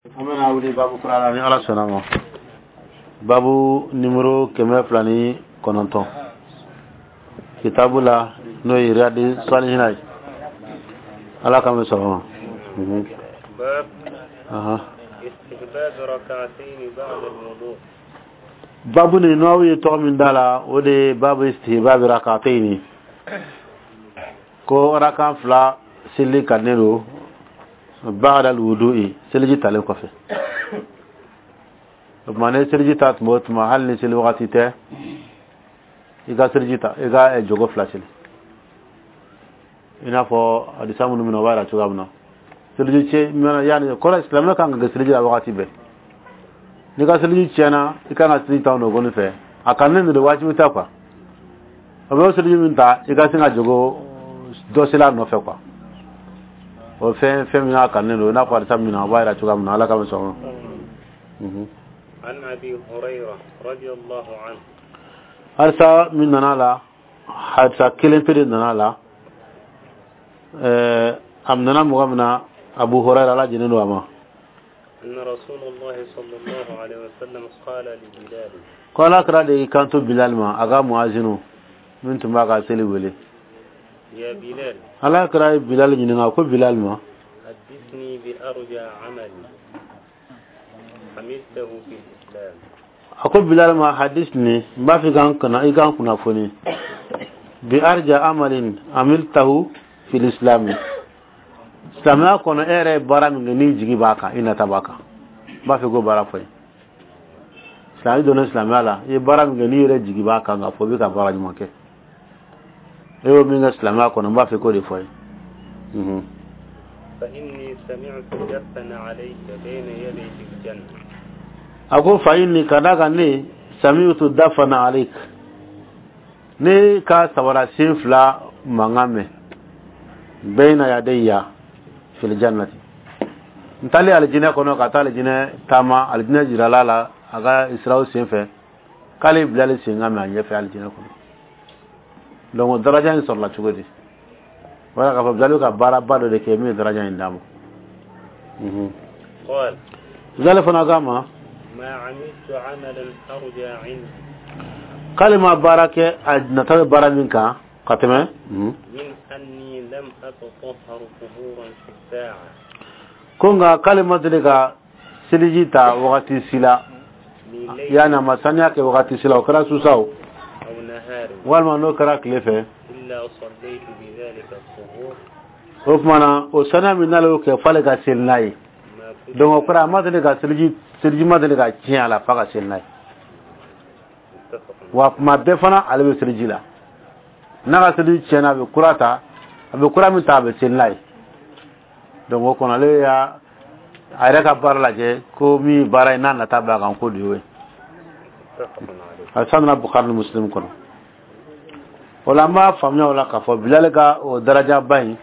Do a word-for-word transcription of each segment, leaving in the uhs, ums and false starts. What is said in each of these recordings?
An bɛna wuli babu kura la ni Ala sɔnna ma, babu numéro kɛmɛ fila ni kɔnɔntɔn, kitabu la n'o ye Riyadi Salihina ye. Ala k'an bɛ sɔrɔ ma. باب Ahan. استحباب ركعتين بعد الوضوء. Babu nin, n'aw ye tɔgɔ min da la, o de ye babu istihbabi rakatayni, ko rakan fila seli ka ne don ba'da alwudu'i, seliji talen kɔfɛ. O tuma, ne seliji ta tuma o tuma, hali ni seli wagati tɛ, i ka seliji ta, i ka eh, jogo fila seli, i n'a fɔ hadisa minnu bɛ na, o b'a yira cogoya min na seliji cɛ yanni kɔrɔ, silamɛ kan ka kɛ seliji la wagati bɛɛ. N'i ka seliji tiɲɛna, i kan ka seliji ta o nɔgɔnin fɛ. A kanunen don, wajibi tɛ quoi. O bɛ seliji min ta, i ka sin ka jogo dɔ seli a nɔfɛ quoi. O fɛn fɛn min n'a kanunen don, i n'a fɔ hadisa min na, o b'a yira cogoya min na. Ala ka bɛ sɔn. عن أبي هريرة رضي الله عنه. Hadisa min nana la, hadisa kelen pe de nana la. ɛɛ a nana mɔgɔ min na, Abu Huraira, Ala jɛnnen don a ma. أن رسول الله صلى الله عليه وسلم قال لبلال: Ko Ala kɛra de y'i kanto Bilal ma, a ka muazinu min tun b'a ka seli wele. يا بلال. Ala kɛra ye Bilal ɲininka ko: Bilal ma, حدثني بأرجى عمل عملته في الإسلام. A ko Bilal ma: hadisni, n b'a fɛ k'an kunna, i k'an kunnafoni, bi arja amalin amiltahu fil islami, silamɛya kɔnɔ, e yɛrɛ ye baara min kɛ n'i jigi b'a kan, i nata b'a kan, n b'a fɛ k'o baara fɔ n ye. Silamɛ donna silamɛya la, i ye baara min kɛ n'i yɛrɛ jigi b'a kan k'a fɔ i bɛ ka baara ɲuman kɛ, e y'o min kɛ silamɛya kɔnɔ, n b'a fɛ k'o de fɔ n ye. Mhm. فإني سمعت دفا نعليك بين يدي في الجنة. A ko: fa inni, ka da kan ne, sami'tu dafa na'alayk, ne ka sabara sen fila mankan mɛn, bayna yadayya fil jannati, n taalen alijinɛ kɔnɔ, ka taa alijinɛ taama, alijinɛ jirala la a ka israw sen fɛ, k'ale bilali sen ka mɛn a ɲɛfɛ alijinɛ kɔnɔ. Donc daraja in sɔrɔla cogo di? Wala k'a fɔ Bilali ka baaraba dɔ de kɛ min ye daraja in d'a ma. Mhm. قال: Bilali fana k'a ma: ما عملت عملا أرجى عندي k'ale ma baara kɛ a nata bɛ baara min kan ka tɛmɛ Mhm. من أني لم أتطهر طهورا في الساعة Ko nka k'ale ma deli ka seliji ta wagati si la, من ليل yani a ma saniya kɛ wagati si la, o kɛra su sa o, أو نهار، walima n'o kɛra tile fɛ، إلا صليت بذلك الطهور. O tuma na, o saniya min n'ale y'o kɛ, f'ale ka seli n'a ye. ما كتب. Donc o kɔrɔ, a ma deli ka seliji, seliji ma deli ka tiɲɛ a la f'a ka seli n'a ye. متفق. Wa kuma bɛɛ fana, ale bɛ seliji la. N'a ka seliji tiɲɛna, a bɛ kura ta, a bɛ kura min ta, a bɛ seli n'a ye. Donc o kɔnɔ, ale y'a a yɛrɛ ka baara lajɛ ko min ye baara ye n'a nata b'a kan, ko de y'o ye. متفق عليه. A sanna Bukhari ni Muslim kɔnɔ. O la, an b'a faamuya o la k'a fɔ Bilali ka o darajaba in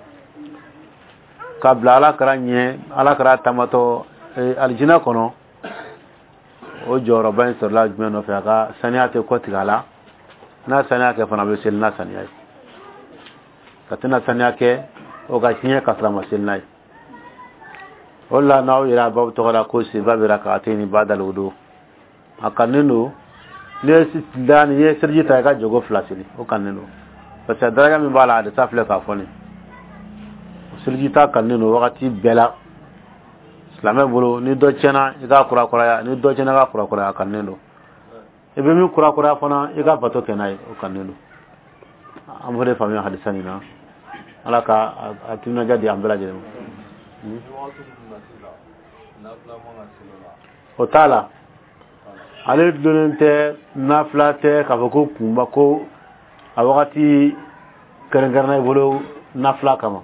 ka bila Ala kɛra ɲɛ, Ala kɛra tamatɔ eh, alijinɛ kɔnɔ, o jɔyɔrɔba in sɔrɔla jumɛn nɔfɛ? A ka saniya tɛ kɔ tigɛ a la. N'a saniya kɛ fana, a bɛ seli n'a saniya ye. Ka tɛna saniya kɛ o ka tiɲɛ ka sɔrɔ a ma seli n'a ye. O de la, n'aw yɛrɛ a baw tɔgɔ la ko istihbabi rakatayni ba'dal wudu, a kanunen don n'i ye da ni ye seliji ta, i ka jogo fila seli, o kanunen don, parce que daraja min b'a la, hadisa filɛ k'a fɔ nin. Seliji ta kanunen don wagati bɛɛ la silamɛ bolo. Ni dɔ tiɲɛna, i k'a kurakuraya. Ni dɔ tiɲɛna, i k'a kurakuraya, a kanunen don. I bɛ min kurakuraya fana, i ka bato kɛ n'a ye, o kanunen don. An b'o de faamuya hadisa nin na. Ala ka a- a timinadiya di an bɛɛ lajɛlen ma. Ni wagati min na sisan, nafila man ka seli o la? O t'a la, ale dulonnen tɛ nafila tɛ k'a fɔ ko kunba ko a wagati kɛrɛnkɛrɛnna i bolo nafila kama.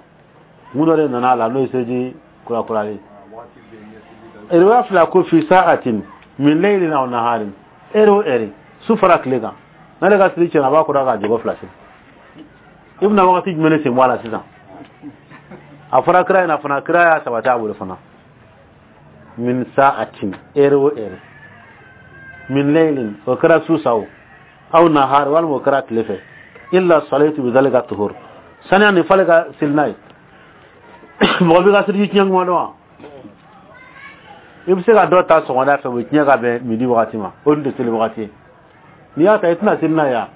Mun dɔ de nana a la, n'o ye seliji kurakuralen. A wagati bɛɛ n'i ye seli ta. Riwaya fila ko fi sa'atin min laylin aw naharin, heure o heure, su fara tile kan, n'ale ka seli tiɲɛna, a b'a kura k'a jogo fila seli. I bɛna wagati jumɛn de sen bɔ a la sisan? A fɔra kira ɲɛna fana, kira y'a sabati a bolo fana, min sa'atin, heure o heure, min laylin, o kɛra su sa o, aw nahar, walima o kɛra tile fɛ, illa salaitu bi zalika tuhur, saniya nin f'ale ka seli n'a ye. Mɔgɔ b'i ka seliji tiɲɛ kuma dɔn wa? I bɛ se ka dɔ ta sɔgɔmada fɛ, o bɛ tiɲɛ ka bɛn midi wagati ma, o dun tɛ seli wagati ye. N'i y'a ta, i tɛna seli n'a ye wa?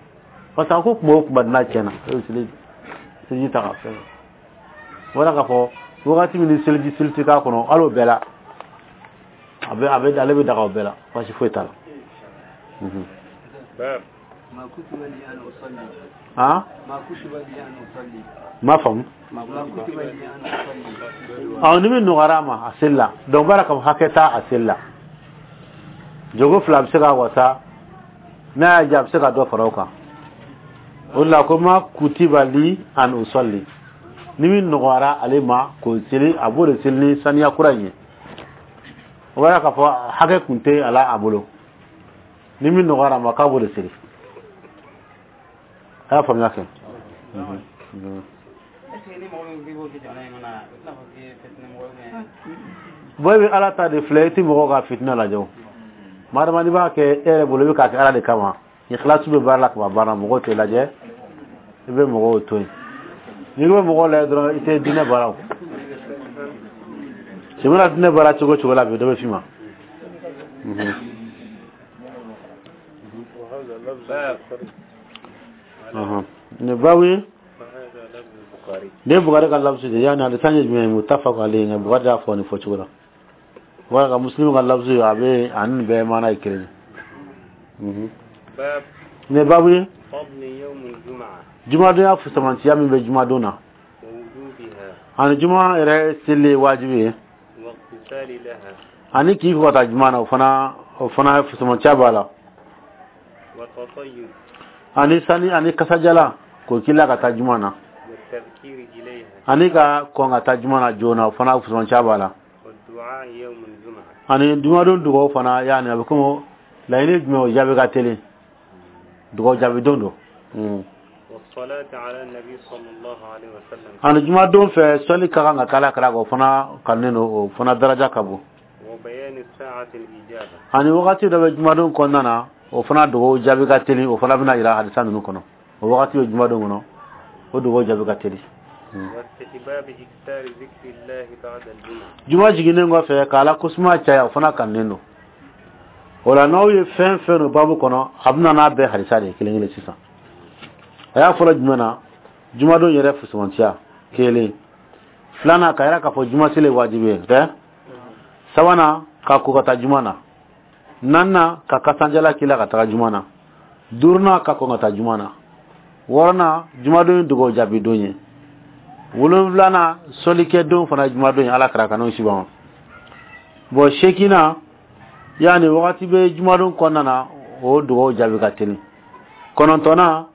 Parce que a ko kuma o kuma n'a tiɲɛna, e bɛ seli seliji ta ka fɛn wala k'a fɔ wagati min ni seliji seli tɛ k'a kɔnɔ, hali o bɛɛ la, a bɛ a bɛ ale bɛ daga o bɛɛ la, baasi foyi t'a la. باب ما كتب لي أن أصلي. Han? ما كتب لي أن أصلي. Ma faamu. ما كتب لي أن أصلي. Ɔ, ni min nɔgɔyara a ma, a seli la. Donc baara ka hakɛ t'a a seli la. Jogo fila bɛ se ka wasa, n'a y'a diya, a bɛ se ka dɔ fara o kan. O de la ko ma kutiba li an usalli, ni min nɔgɔyara ale ma k'o seli, a b'o de seli ni saniya kura in ye. O b'a yira k'a fɔ hakɛ kun tɛ a la a bolo. Ni min nɔgɔyara a ma, k'a b'o de seli. A y'a faamuya kɛ. Est ce que ni mɔgɔ min k'i b'o kɛ jamana in kɔnɔ, o tɛna fɔ k'i ye fitinɛ mɔgɔ ye ou bien? Bon, e bɛ Ala ta de filɛ, i tɛ mɔgɔw ka fitinɛ lajɛ. O maa dama, n'i b'a kɛ e yɛrɛ bolo, i bɛ k'a kɛ Ala de kama, ikhlasu bɛ baara la ka ban baara, mɔgɔw tɛ lajɛ, i bɛ mɔgɔw to yen. N'i bɛ mɔgɔw lajɛ dɔrɔn, i tɛ diinɛ baara. O si mana diinɛ baara cogo cogo la bi, dɔ bɛ f'i ma. Mhm. وهذا لفظ البخاري. Ɔhɔn. Nin babu ye وهذا لفظ البخاري. Ne ye Bukari ka lafusu de, yani hadisa ye jumɛn ye? Muttafaq alayhi, nka Bukari y'a fɔ nin fɔ cogo la. Wala ka Muslim ka lafusu, a bɛ ani nin bɛɛ maana ye kelen ye. Mhm. باب Nin babu ye فضل يوم الجمعة jumadonya fusamantiya min bɛ jumadon na ووجوبها ani juma yɛrɛ seli ye wajibi ye واغتسال لها ani k'i ko ka taa juma na, o fana o fana fusamantiya b'a la والتطيب ani sani ani kasajala k'o k'i la ka taa juma na والتبكير إليها ani ka kɔn ka taa juma na joona, o fana fusamantiya b'a la والدعاء يوم الجمعة ani jumadon dugawu fana. Yani a bɛ komi laɲini jumɛn, o jaabi ka teli, dugawu jaabi don don. Mm. والصلاة على النبي صلى الله عليه وسلم Ani jumadon fɛ, sɔli ka kan ka k'ala kira kan, o fana kanunen don, o fana daraja ka bon. وبيان ساعة الإجابة Ani wagati dɔ bɛ jumadon kɔnɔna na, o fana dugawu jaabi ka teli, o fana bɛna yira hadisa ninnu kɔnɔ. O wagati bɛ jumadon kɔnɔ, o dugawu jaabi ka teli. واستحباب إكثار ذكر الله بعد الجمعة Juma jiginnen kɔfɛ, k'Ala kosuma caya, o fana kanunen don. O la, n'aw ye fɛn fɛn don babu kɔnɔ, a bɛna n'a bɛɛ hadisa de ye kelen kelen sisan. A y'a fɔlɔ jumɛn na? Jumadon yɛrɛ fusamantiya kelen. Filanan, ka yira k'a fɔ juma seli ye wajibi ye tɛ. Sabanan, ka ko ka taa juma na. Naaninan, ka kasanjala k'i la ka taga juma na. Duurunan, ka kɔn ka taa juma na. Wɔɔrɔnan, jumadon ye dugawu jaabi don ye. Wolonfilanan, sɔlikɛ don fana ye jumadon ye, Ala kɛra ka n'o si ma. Bon, seekinan, yani wagati bɛ jumadon kɔnɔna na, o dugawu jaabi ka teli. Kɔnɔntɔnnan,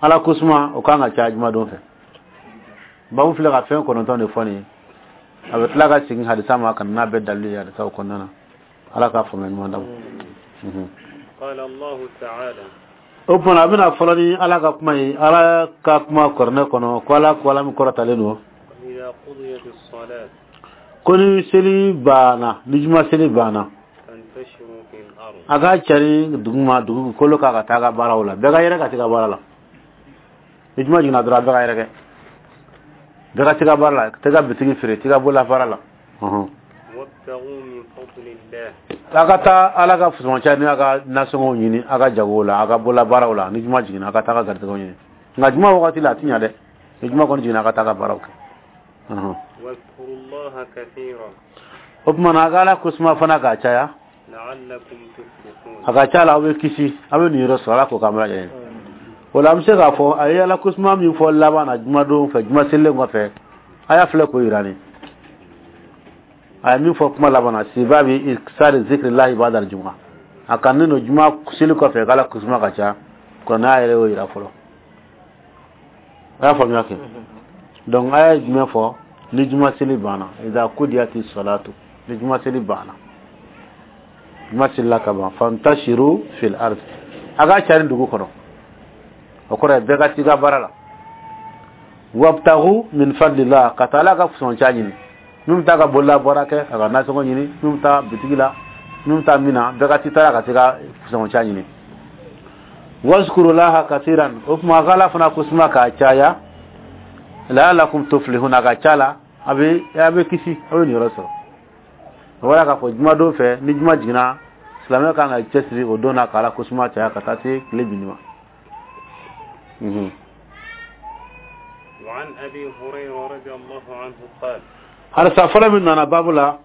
Ala kosuma, o kan ka caya jumadon fɛ. Babu filɛ ka fɛn kɔnɔntɔn de fɔ nin ye. A bɛ tila ka segin hadisa ma ka na n'a bɛɛ dalilu ye hadisaw kɔnɔna na. Ala k'a faamuya ɲuman d'a ma. Mhm. قال الله تعالى O tuma, a bɛna fɔlɔ ni Ala ka kuma ye, Ala ka kuma kuranɛ kɔnɔ ko Ala ko, Ala min kɔrɔtalen don, وإذا قضيت الصلاة ko ni seli banna, ni juma seli banna, فانتشروا في الأرض a ka cari dugu ma, dugukolo kan, ka taa ka baaraw la. Bɛɛ ka yɛrɛ ka se ka baara la. Ni juma jiginna dɔrɔn, a bɛɛ ka yɛrɛ kɛ, bɛɛ ka se ka baara la, tɛ ka bitigi feere, tɛ ka bolola baara la. Ɔhɔn. وابتغوا من فضل الله A ka taa Ala ka fusamancɛ ni a ka nasɔngɔw ɲini, a ka jagow la, a ka bolola baaraw la. Ni juma jiginna, a ka taa ka garijɛgɛw ɲini. Nka juma wagati la, a ti ɲa dɛ. Ni juma kɔni jiginna, a ka taa ka baaraw kɛ. Ɔhɔn. واذكروا الله كثيرا O tuma na, a ka Ala kosuma fana k'a caya لعلكم تفلحون a ka ca la, aw bɛ kisi, aw bɛ nin yɔrɔ sɔrɔ. Ala k'o k'an bɛɛ lajɛlen. O la, an bɛ se k'a fɔ a ye Ala kosuma min fɔ laban na jumadon fɛ, juma selilen kɔfɛ, a y'a filɛ k'o yira nin. A ye min fɔ kuma laban na, sibabi iksari zikrillahi ba'da juma, a ka ne don juma seli kɔfɛ k'Ala kosuma ka ca, kuranɛ yɛrɛ y'o yira fɔlɔ. A y'a faamuya kɛ? Donc a ye jumɛn fɔ? Ni juma seli banna, idha qudiyati salatu, ni juma seli banna, juma selila ka ban, fantashiru fil ard, a ka cari dugu kɔnɔ. O kɔrɔ ye bɛɛ ka t'i ka baara la. Wabtagu min fadlillah, ka taa Ala ka fusamancɛ ɲini. Min bɛ taa ka bolola baara kɛ, a ka nasɔngɔ ɲini. Min bɛ taa bitigi la, min bɛ taa min na, bɛɛ ka t'i ta la ka t'i ka fusamancɛ ɲini. Wazkurulaha kasiran, o tuma a ka Ala fana kosuma k'a caya, la'allakum tuflihun, a ka ca la a bɛ a bɛ kisi, a bɛ nin yɔrɔ sɔrɔ. O b'a k'a fɔ jumadon fɛ, ni juma jiginna, silamɛ kan ka cɛsiri o don na k'Ala kosuma caya ka taa se tile binni ma. Mhm. وعن أبي هريرة رضي الله عنه قال Hadisa fɔlɔ min nana baabu la,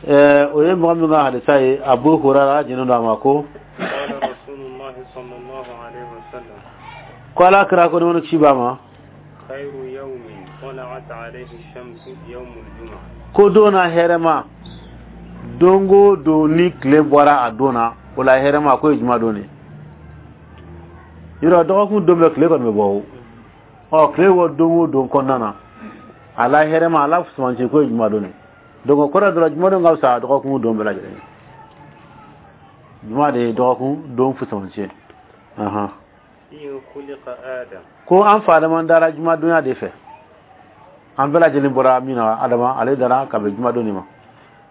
ɛɛ o ye mɔgɔ min ka hadisa ye, Abu Hurara jinin don a ma ko قال رسول الله صلى الله عليه وسلم ko Ala kira ko ni ci b'a ma خير يوم طلعت عليه الشمس يوم الجمعة. Ko don na hɛrɛma, don o don ni tile bɔra a don na, o la hɛrɛma ko ye juma don de. Yɔrɔ dɔgɔkun don bɛɛ tile kɔni bɛ bɔ o. Ɔ, tile bɔ don o don kɔnɔna na, a la hɛrɛma, a la fusamanci ko ye juma don de. Donc o kɔrɔ dɔrɔn, juma don ka fisa dɔgɔkun don bɛɛ lajɛlen ye. Juma de ye dɔgɔkun don fusamanci ye. Ahan. فيه خلق آدم. Ko an fa Adama dara jumadonya de fɛ. An bɛɛ lajɛlen bɔra min na, Adama ale dara ka bɛn jumadon de ma.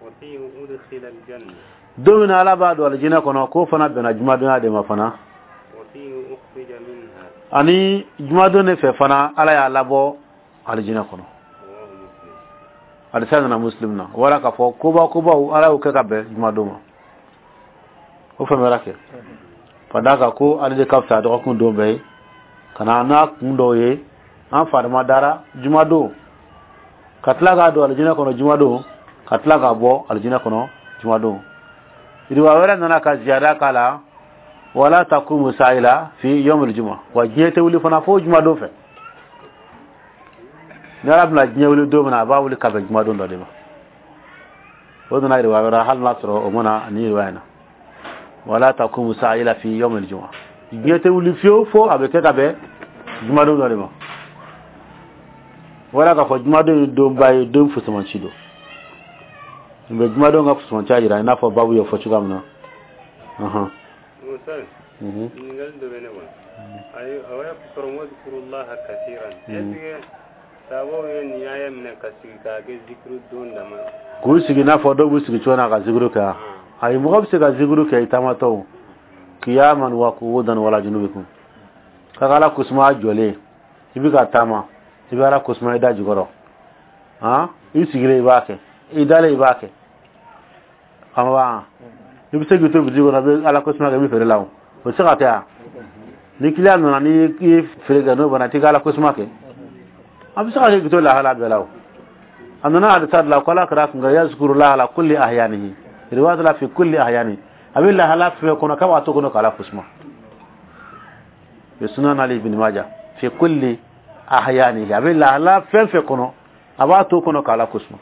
وفيه أدخل الجنة. Don min na Ala b'a don alijinɛ kɔnɔ, k'o fana bɛnna jumadonya de ma fana. وفيه أخرج منها. Ani jumadon de fɛ fana, Ala y'a labɔ alijinɛ kɔnɔ. رواه مسلم. Hadisa nana Muslim na. Wala k'a fɔ koba kobaw, Ala y'o kɛ ka bɛn jumadon ma. O faamuyara kɛ ka d'a kan ko ale de ka fisa dɔgɔkun don bɛɛ ye ka na n'a kun dɔw ye. An farima dara jumadon, ka tila k'a don alijinɛ kɔnɔ jumadon, ka tila k'a bɔ alijinɛ kɔnɔ jumadon. Riwaya wɛrɛ nana ka ziyada k'a la: wala taqumu sa'a illa fi yawmil juma. Wa diɲɛ tɛ wuli fana fo jumadon fɛ. Ni Ala bɛna diɲɛ wuli don min na, a b'a wuli ka bɛn jumadon dɔ de ma. O nana riwaya wɛrɛ, hali n'a sɔrɔ o mana ni riwaya in na: wala taqumu sa'a illa fi yawmil juma. Diɲɛ tɛ wuli fiyewu fo a bɛ kɛ ka bɛn jumadon dɔ de ma. Wala k'a fɔ jumadon ye donba ye, don fusamanci don. Nin bɛ jumadon ka fusamanci jira, i n'a fɔ babu y'o fɔ cogoya min na. Ɔhɔn. Musa, Mhm. ɲininkali dɔ bɛ ne bolo. Ayi, a y'a sɔrɔ واذكروا الله كثيرا, est ce que sababu ye nin y'a minɛ ka sigi k'a kɛ zikiru don dama? K'u sigi i n'a fɔ dɔw b'u sigi cogo min na ka zikiru kɛ wa? Ayi, mɔgɔ bɛ se ka zikiru kɛ i taamatɔ, qiyaman wa qu'udan wala junubikum, ka Ala kosuma jɔlen, i bɛ ka taama, i bɛ Ala kosuma i da jukɔrɔ. Han, i sigilen i b'a kɛ, i dalen i b'a kɛ. Ama i bɛ se k'i to bitigi kɔnɔ, i bɛ Ala kosuma kɛ, i bɛ feere la. O o tɛ se ka kɛ wa? Ni kiliyan nana, ni i ye feere kɛ, n'o banna, t'i ka Ala kosuma kɛ. A bɛ se ka kɛ k'i to lahala bɛɛ la. O a nana hadisa de la ko Ala kɛra kun kan يذكر الله على كل أحيانه, riwayat la في كل أحيانه. A bɛ lahala fɛn kɔnɔ k'a b'a to kɔnɔ k'Ala kosuma. Bi Sunan Ali ibn Majah, في كل أحيانه, a bɛ lahala fɛn fɛn kɔnɔ, a b'a to kɔnɔ k'Ala kosuma.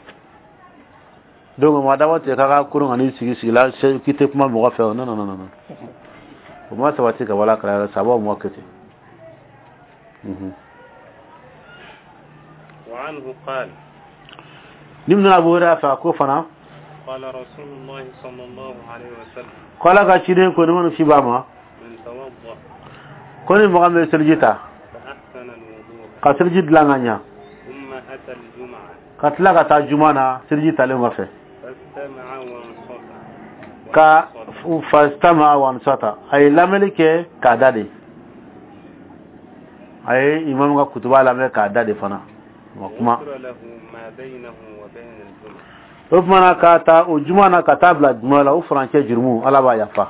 Donc ma dabɔ tigɛ k'a ka kurun ka n'i sigi sigi la k'i tɛ kuma mɔgɔ fɛ o. Non, non, non, non, o ma sabati ka wala kala sababu ma kɛ ten. Mhm. وعنه قال Ni min nana Abu Hurairah fɛ, a ko fana قال رسول الله صلى الله عليه وسلم ko Ala ka ciden ko ni minnu ci b'a ma من توضأ ko ni mɔgɔ min ye seliji ta فأحسن الوضوء ka seliji dilan ka ɲa ثم أتى الجمعة ka tila ka taa juma na seliji talen kɔfɛ فاستمع وانصت ka وأنصت. فاستمع وأنصت, a ye lamɛnni kɛ k'a da de, a ye imamu ka kutuba lamɛn k'a da de fana ma kuma غفر له ما بينه وبين الجمعة. O tuma na, k'a ta o juma na ka taa bila juma la, o furancɛ jurumu, Ala b'a yafa.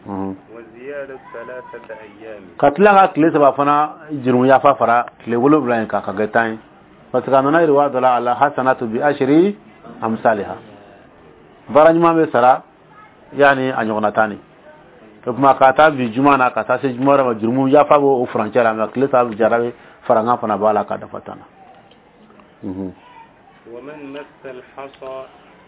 Mhm. وزيادة ثلاثة أيام. Ka tila ka tile saba fana jurumu yafa fara tile wolonwula in kan, ka kɛ tan ye, parce que a nana riwaya dɔ la: الحسنة بعشر أمثالها, baara ɲuman bɛ sara yanni a ɲɔgɔnna tan de. O tuma ka taa bi juma na ka taa se juma wɛrɛ ma, jurumu yafa b'o o furancɛ la, mɛ tile saba jara bɛ farankan fana b'a la ka dafa tan na. Mhm. ومن مس الحصى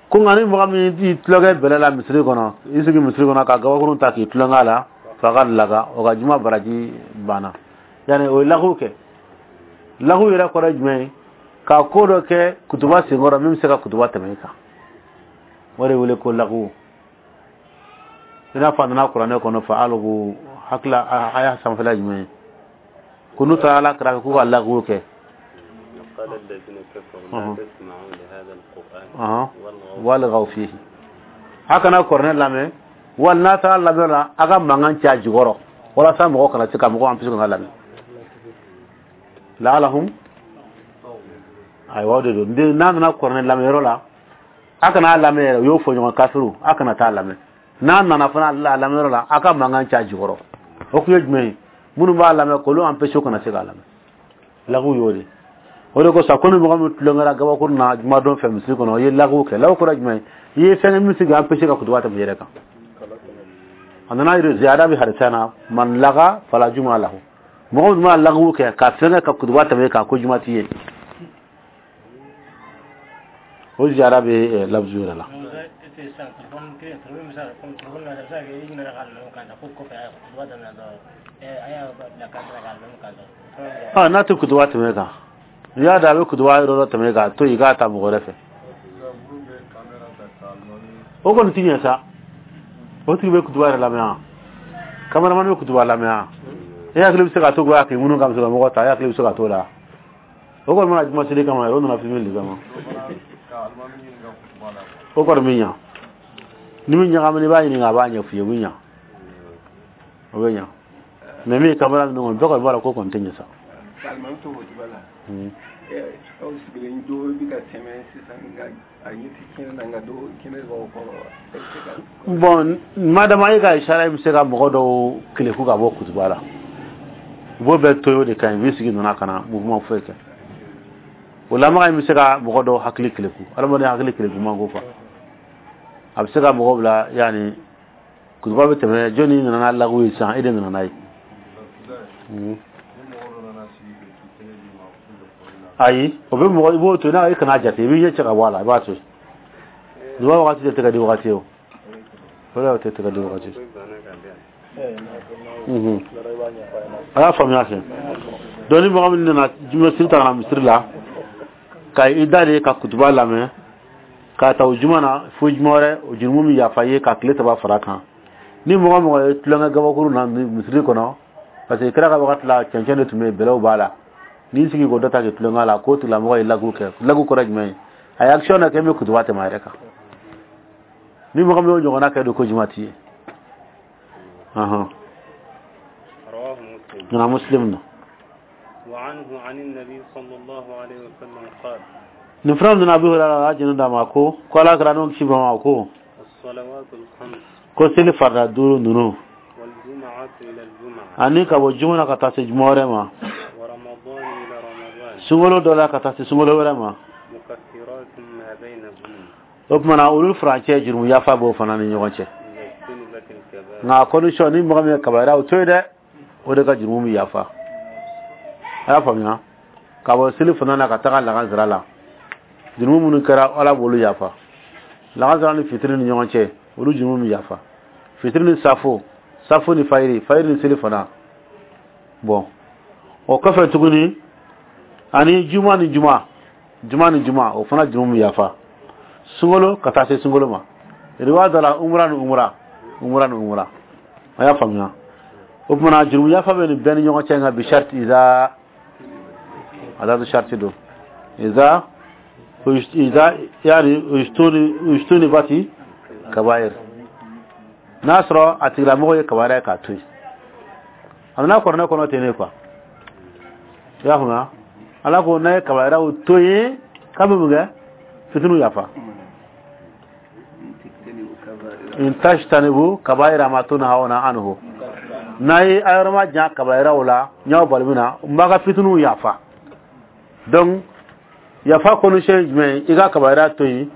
Ko nka ni mɔgɔ min y'i tulonkɛ bɛlɛ la misiri kɔnɔ, i sigi misiri kɔnɔ ka gabakurun ta k'i tulonkɛ a la, فقد لغا, o ka juma baraji banna. Yani o ye lagu kɛ. Lagu yɛrɛ kɔrɔ ye jumɛn ye? Ka ko dɔ kɛ kutuba senkɔrɔ min bɛ se ka kutuba tɛmɛ i kan, o de wele ko lagu. I n'a fɔ a nana kuranɛ kɔnɔ فألقوا, hakili a y'a sanfɛla jumɛn ye? Ko n'u taara Ala kɛrɛfɛ k'u ka lagu kɛ. قال الذين كفروا أها. لا تسمعوا لهذا القرآن أها. والغوا والغوا فيه. A kana kuranɛ lamɛn, wali n'a taara lamɛn la, a ka mankan ci a jukɔrɔ walasa mɔgɔ kana se ka mɔgɔ an ka lamɛn. لعلهم, ayiwa, o de don. N'a nana kuranɛ lamɛnyɔrɔ la, A kana lamɛn yɛrɛ, u y'o fɔ ɲɔgɔn kafiru, a kana taa lamɛn. N'a nana fana a lamɛnyɔrɔ la, a ka mankan ca jukɔrɔ. O kun ye jumɛn ye? Minnu b'a lamɛn k'olu empêcher kana se k'a lamɛn. Lagu y'o de. O de kosɔn ko ni mɔgɔ min tulonkɛra gabakuru na jumadon fɛ misiri kɔnɔ, i ye lagu kɛ. Lagu kɔrɔ jumɛn ye? I ye fɛn min sigi empêcher ka kutuba tɛmɛ yɛrɛ kan. A nana yiri ziyada bi hadisa na, man laga fala juma lahu. Mɔgɔ min ma lagu kɛ ka fɛn kɛ ka kutuba tɛmɛ kan, ko juma t'i ye. O ziyada bɛ lafzu yɛrɛ la. Ah, n'a tɛ kutuba tɛmɛ kan, n'i y'a da a bɛ kutuba yɔrɔ dɔ tɛmɛ kan, to yen i k'a ta mɔgɔ wɛrɛ fɛ. O kɔni ti ɲɛ sa. O tigi bɛ kutuba yɛrɛ lamɛn wa? Cameraman bɛ kutuba lamɛn wa? E hakili bɛ se ka to k'a k'i minnu ka mɔgɔ ta, e hakili bɛ se ka t'o la. O kɔni mana juma seli kama, o nana filmer de kama. O kɔni bɛ ɲa. Ni min ɲagamina i b'a ɲininka, a b'a ɲɛf'i ye, o bɛ ɲa. O bɛ ɲa. Mais min ye caméra ninnu kɔni, bɛɛ kɔni b'a dɔn ko kɔni tɛ ɲɛ sa. Alimami to kutuba la. Aw sigilen dɔ bɛ ka tɛmɛ sisan, nka a ɲɛ tɛ kɛnɛ na, nka dɔ kɛnɛ b'aw kɔrɔ. Bon, madama e ka isara bɛ se ka mɔgɔ dɔw keleku ka bɔ kutuba la, u b'o bɛɛ to yen, o de ka ɲi. U b'i sigi nana ka na mouvement foyi kɛ. O lamaga in bɛ se ka mɔgɔ dɔw hakili keleku, adamaden hakili keleku man ko quoi. A bɛ se ka mɔgɔ bila, yanni kutuba bɛ tɛmɛ, jɔnni nana n'a lagu ye sisan, e de nana n'a ye. Ayi, o bɛ mɔgɔ i b'o to yen, n'a i kana jate, i b'i ɲɛ cɛ ka bɔ a la, i b'a to yen. Duba wagati tɛ tɛgɛ di wagati ye o. O de tɛ tɛgɛ di wagati. A y'a faamuya fɛ. Donc ni mɔgɔ min nana juma seli ta ka na misiri la, ka i da de ka kutuba lamɛn, k'a ta o juma na fo juma wɛrɛ, o jurumu min yafa i ye ka tile saba fara kan. Ni mɔgɔ mɔgɔ ye tulonkɛ gabakuru na misiri kɔnɔ, parce que kira ka wagati la cɛncɛn de tun bɛ yen, bɛlɛw b'a la. N'i sigi k'o dɔ ta k'i tulonkɛ la, k'o tigilamɔgɔ ye lagu kɛ. Lagu kɔrɔ jumɛn ye? A ye action dɔ kɛ min bɛ kutuba tɛmɛ a yɛrɛ kan. Ni mɔgɔ min y'o ɲɔgɔnna kɛ don, ko juma t'i ye. Nana Muslim na. Nin fana nana Abu Hurairah la jɛnɛ d'a ma ko ko Ala kɛra n'o kisi b'a ma ko ko seli farida duuru ninnu, ani ka bɔ juma na ka taa se juma wɛrɛ ma, sunkalo dɔ la ka taa se sunkalo wɛrɛ ma, o tuma na olu furancɛ jurumu yafa b'o fana ni ɲɔgɔn cɛ. Nka condition, ni mɔgɔ min ye kabayira o to yen dɛ, o de ka jurumu bɛ yafa. A y'a faamuya? Ka bɔ seli fana na ka taga lagansara la, jurumu minnu kɛra Ala b'olu yafa. Lagansara ni fitiri ni ɲɔgɔn cɛ, olu jurumu bɛ yafa. Fitiri ni safo, safo ni fayiri, fayiri ni seli fana. Bon, o kɔfɛ tuguni, ani juma ni juma, juma ni juma, o fana jurumu bɛ yafa. Sunkalo ka taa se sunkalo ma. Riwaya dɔ la, umra ni umra, umra ni umra. A y'a faamuya? O tuma na jurumu yafa bɛ nin bɛɛ ni ɲɔgɔn cɛ, nka bi sharti iza adadu sharti don. Iza iza yani ujtuni bati kabair. N'a sɔrɔ a tigilamɔgɔ ye kabayira ye k'a to yen. A nana kɔrɔnɛ kɔnɔ ten ne quoi. I y'a faamuya? Ala ko n'a ye kabayiraw to yen, k'a bɛ mun kɛ? Fitiniw yafa. In tajtanibu kabayira ma tunhawna anhu. N'a ye a yɔrɔ ma jan kabayiraw la, n y'aw bali min na, n b'a ka fitiniw yafa. Donc yafa condition ye jumɛn ye? I ka kabayira to yen,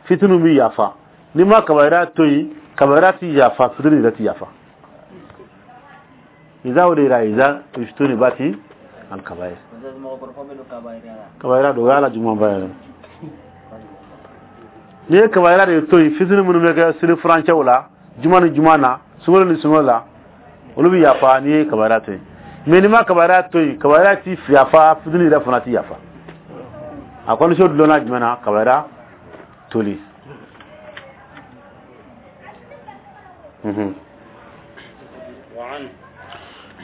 fitiniw bɛ yafa. N'i ma kabayira to yen, kabayira ti yafa, fitini yɛrɛ ti yafa. Iza o de yira iza ujtunibati al kabayir. Kabayira don, o y'a la jugumanba yɛrɛ. N'i ye kabayira de to yen, fitini minnu bɛ kɛ seli furancɛw la, juma ni juma na, sunkalo ni sunkalo la, olu bɛ yafa n'i ye kabayira to yen. Mais n'i ma kabayira to yen, kabayira ti yafa, fitini yɛrɛ fana ti yafa. A condition dulonna jumɛn na? Kabayira toli.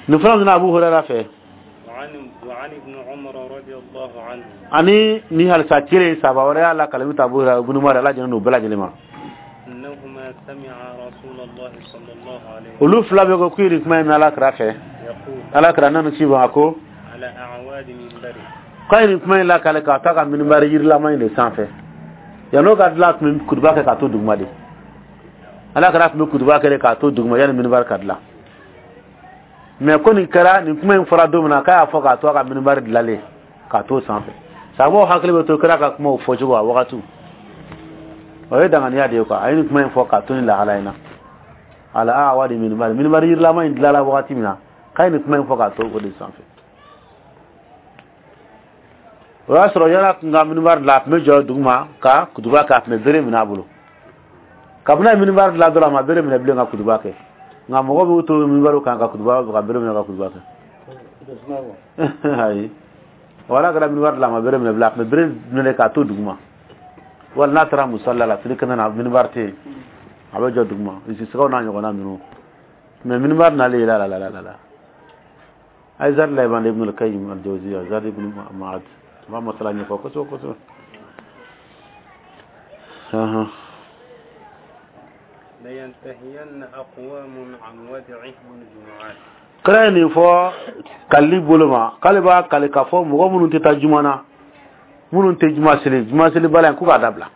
Nin fana nana Abu Hurairah fɛ. Ani ni halisa kelen saba wɛrɛ y'a la kalami ta Abu Hurairah ibn Umar, Ala jɛnna n'u bɛɛ lajɛlen ma. Olu fila bɛ ko k'u ye nin kuma in mɛn Ala kira fɛ. Ala kira nana ci ma ko k'a ye nin kuma in lakale k'a ta ka minibari yirilama in de sanfɛ. Yan'o ka dilan a tun bɛ kutuba kɛ k'a to duguma de. Ala kɛra tun bɛ kutuba kɛ k'a to duguma yanni minibari ka dilan. Mais ko nin kɛra nin kuma in fɔra don min na k'a y'a fɔ k'a to a ka minibari dilanlen k'a to sanfɛ. Sababu hakili bɛ to kira ka kumaw fɔcogo a wagatiw. O ye danganiya de ye quoi. A ye nin kuma in fɔ k'a to nin lahala in na. Ala a wadi minibari minibari yirilama in dilanla wagati min na k'a ye nin kuma in fɔ k'a to o de sanfɛ. O y'a sɔrɔ yala kun ka minibari dilan a tun bɛ jɔ duguma ka kutuba kɛ a tun bɛ bere minɛ a bolo. Kabini a ye minibari dilan dɔrɔn a ma bere minɛ bilen ka kutuba kɛ. Nka mɔgɔ b'u to minibari kan ka kutuba ka bere minɛ ka kutuba kɛ. Ayi. Wala kɛra minibari dilan a ma bere minɛ bilen a tun bɛ bere minɛ k'a to duguma. Wali n'a taara musalla la seli kɛnɛ na minibari tɛ yen a bɛ jɔ duguma sisigaw n'a ɲɔgɔnna ninnu. Mais minibari nalen la la la la la. Ay zar la ibn Ibn al-Qayyim al-Jawziyya Zar ibn Ma'ad ma masala ɲɛfɔ kosɛbɛ kosɛbɛ. Ahan. لينتهين أقوام عن ودعهم الجمعات. Kira ye nin fɔ kalili bolo ma k'ale b'a kali k'a fɔ mɔgɔ minnu tɛ taa juma na minnu tɛ juma seli juma seli bala in k'u k'a dabila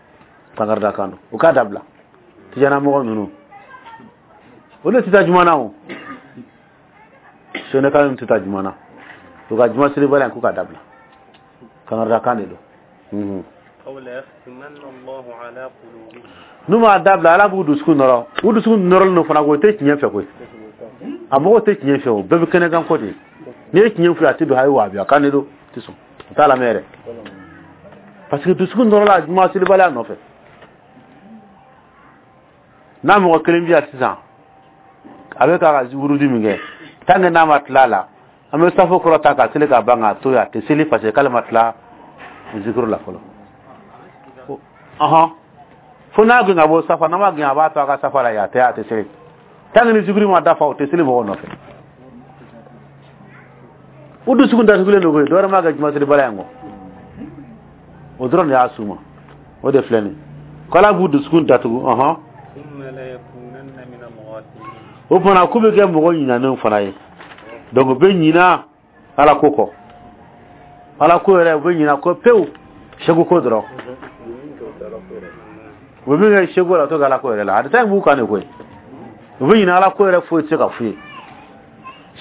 kankarida kan don u k'a dabila tijana mɔgɔ ninnu olu tɛ taa juma na o sɛnɛka ninnu tɛ taa juma na u ka juma seli bala in k'u k'a dabila kankarida kan de don. N'u m'a dabila ala b'u dusukun nɔrɔ u dusukun nɔrɔlen don fana ko o tɛ tiɲɛ fɛ koyi. A mɔgɔw tɛ tiɲɛ fɛ o bɛɛ bɛ kɛnɛ kan ko de n'i ye tiɲɛ f'u ye a tɛ don a ye waabiya kan de don tɛ sɔn u t'a lamɛn yɛrɛ parce que dusukun nɔrɔla juma selibaliya nɔfɛ n'a mɔgɔ kelen bi yan sisan a bɛ k'a ka wurudi min kɛ tant que n'a ma tila a la an bɛ safo kɔrɔ ta ka seli ka ban k'a to yen a tɛ seli parce que k'ale ma tila zikuru la fɔlɔ ɔhɔn fo n'a gɛn ka bɔ safa n'a ma gɛn a b'a to a ka safa la yen a tɛ a tɛ seli tant que ni zikuru ma dafa o tɛ seli mɔgɔw nɔfɛ u dusukun datugulen don koyi dɔwɛrɛ m'a kɛ juma selibaliya in kɔ o dɔrɔn de y'a s'u ma o de filɛ nin ye k'ala b'u dusukun datugu ɔhɔn o fana k'u bɛ kɛ mɔgɔ ɲinanenw fana ye donc u bɛ ɲina ala ko kɔ ala ko yɛrɛ u bɛ ɲina ko pewu segu ko dɔrɔn u bɛ min kɛ segu la u t'o kɛ ala ko yɛrɛ la a tɛ taa in b'u kan de koyi u bɛ ɲina ala ko yɛrɛ foyi tɛ se ka f'u ye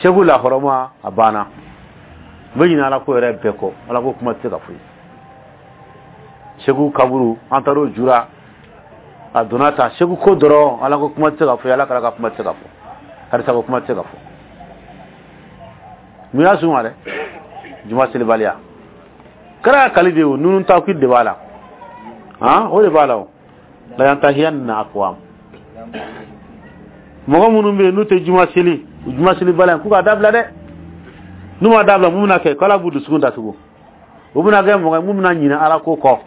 segu lahɔrɔma a banna u bɛ ɲina ala ko yɛrɛ bɛɛ kɔ ala ko kuma tɛ se ka f'u ye segu kaburu an taar'o jura a donna tan segu ko dɔrɔn ala ko kuma tɛ se ka fɔ ala kɛra ka kuma tɛ se ka fɔ karisa ko kuma tɛ se ka fɔ mun y'a s'u ma dɛ juma selibaliya kɛra kali de o nunu tawkid de b'a la han o de b'a la o la yantahiyanna aqwam mɔgɔ minnu bɛ yen n'u tɛ juma seli juma selibaliya k'u k'a dabila dɛ n'u ma dabila mun bɛna kɛ k'ala b'u dusukun datugu u bɛna kɛ mɔgɔ ye mun bɛna ɲinɛ ala ko kɔ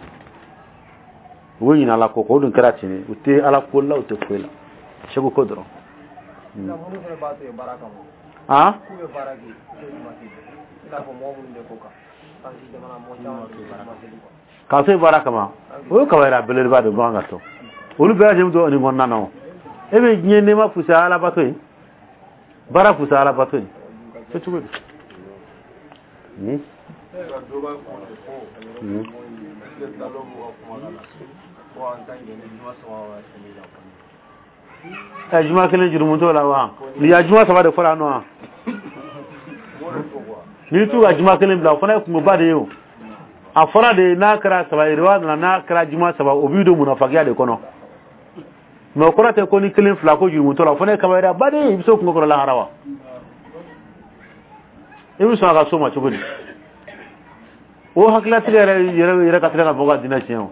u bɛ ɲinɛ ala ko kɔ o dun kɛra ten u tɛ ala ko la u tɛ foyi la segu ko dɔrɔn. Han? K'a to yen baara kama o ye kabayira belebeleba de bagan ka to olu bɛɛ lajɛlen bɛ nin kɔnɔna na o e bɛ diɲɛ nɛɛma fisaya alabato ye baara fisaya alabato ye kɛ cogo di. Ɛ juma kelen jurumu t'o la wa nin ya juma saba de fɔra yan nɔ wa n'i t'u ka juma kelen bila o fana ye kungoba de ye o a fɔra de n'a kɛra saba ye riwaya nana n'a kɛra juma saba o b'i don munafakiya de kɔnɔ mais o kɔrɔ tɛ ko ni kelen fila ko jurumu t'o la o fana ye kabayiraba de ye i bɛ se o kungo kɔrɔ lahara wa i bɛ sɔn a ka so ma cogo di o hakililatigɛ yɛrɛ yɛrɛ yɛrɛ ka teli ka mɔgɔ ka diinɛ tiɲɛ o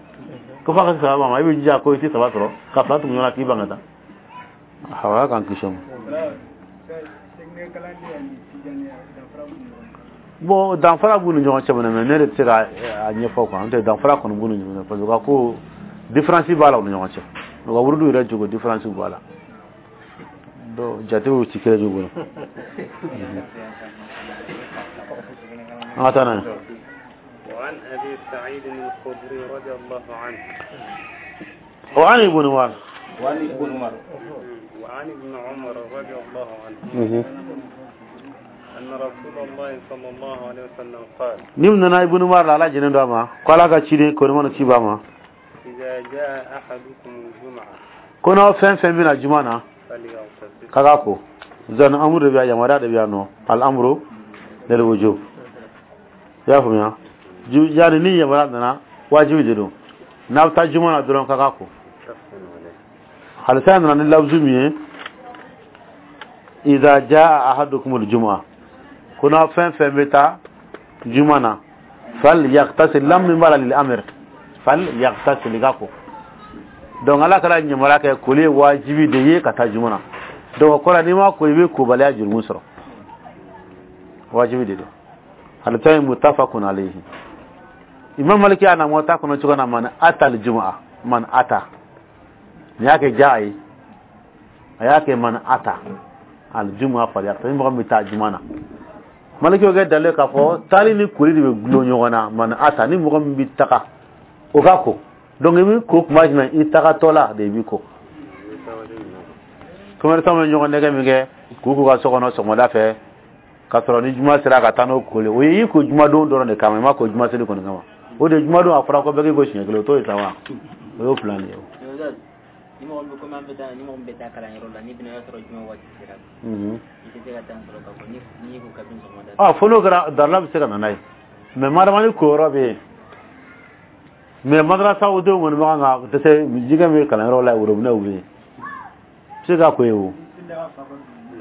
ko f'a ka se saba ma i bɛ jija ko i tɛ saba sɔrɔ ka fila tugu ɲɔgɔn na k'i ban ka taa awɔ k'an kisi o ma. Bon danfara b'u ni ɲɔgɔn cɛ mais ne de tɛ se ka a ɲɛfɔ quoi n'o tɛ danfara kɔni b'u ni ɲɔgɔn cɛ parce que u ka ko différence b'a la u ni ɲɔgɔn cɛ u ka wurudiw yɛrɛ jogo différence b'a la donc jatew ti kelen ye u bolo. An ka taa n'a ye. وعن أبي سعيد الخدري رضي الله عنه وعن ابن عمر وعن ابن عمر وعن ابن عمر رضي الله عنه أن رسول الله صلى الله عليه وسلم قال نمنا ابن عمر على جنن دوما قال ka cide ko mana ci ba ma إذا جاء أحدكم الجمعة ko n'aw fɛn fɛn bɛna juma na فليغتسل k'a k'a ko zan amuru de bɛ yan yamaruya de bɛ yan nɔ al amru lil wujub i y'a faamuya ju yani ni yamaruya nana wajibi de don n'a bɛ taa juma na dɔrɔn k'a k'a ko متفق عليه hadisa nana ni lafzu min ye idha jaa ahadukum al-jumu'a ko n'aw fɛn fɛn bɛ taa juma na fal yaghtasil lam min b'a la lil amr fal yaghtasil i k'a ko donc ala kɛra yamaruya kɛ koli ye wajibi de ye ka taa juma na donc o kɔrɔ n'i ma ko i bɛ kobaliya jurumu sɔrɔ wajibi de don hadisa in muttafaqun alayhi imam maliki y'a na mɔta kɔnɔ cogo na man ata al-jumu'a man ata nin y'a kɛ jaa ye a y'a kɛ man ata al-jumu'a falyaqta ni mɔgɔ min bɛ taa juma na maliki y'o kɛ dalil k'a fɔ taali ni koli de bɛ gulon ɲɔgɔn na man ata ni mɔgɔ min bɛ taga o ka ko donc i bɛ ko kuma jumɛn i tagatɔ la de i bɛ ko commerçant bɛ ɲɔgɔn nɛgɛ min kɛ k'u k'u ka so kɔnɔ sɔgɔmada fɛ ka sɔrɔ ni juma sera ka taa n'o koli o ye i ko jumadon dɔrɔn de kama i ma ko juma seli kɔni kama o de jumadon a fɔra ko bɛɛ k'i ko siɲɛ kelen o t'o ye sa wa o y'o plan de ye o. Ni mɔgɔ min bɛ komi an bɛ taa ni mɔgɔ min bɛ taa kalanyɔrɔ la n'i bɛna y'a sɔrɔ juma waati sera Mhm. i tɛ se ka taa sɔrɔ k'a fɔ ni n'i ko kabini sɔgɔmada ah fo n'o kɛra darila bɛ se ka na n'a ye mais madama ni ko yɔrɔ bɛ yen mais madrasa denw kɔni bɛ kan ka dɛsɛ jikɛ min bɛ kalanyɔrɔ la worobinɛw bɛ yen se ka ko ye o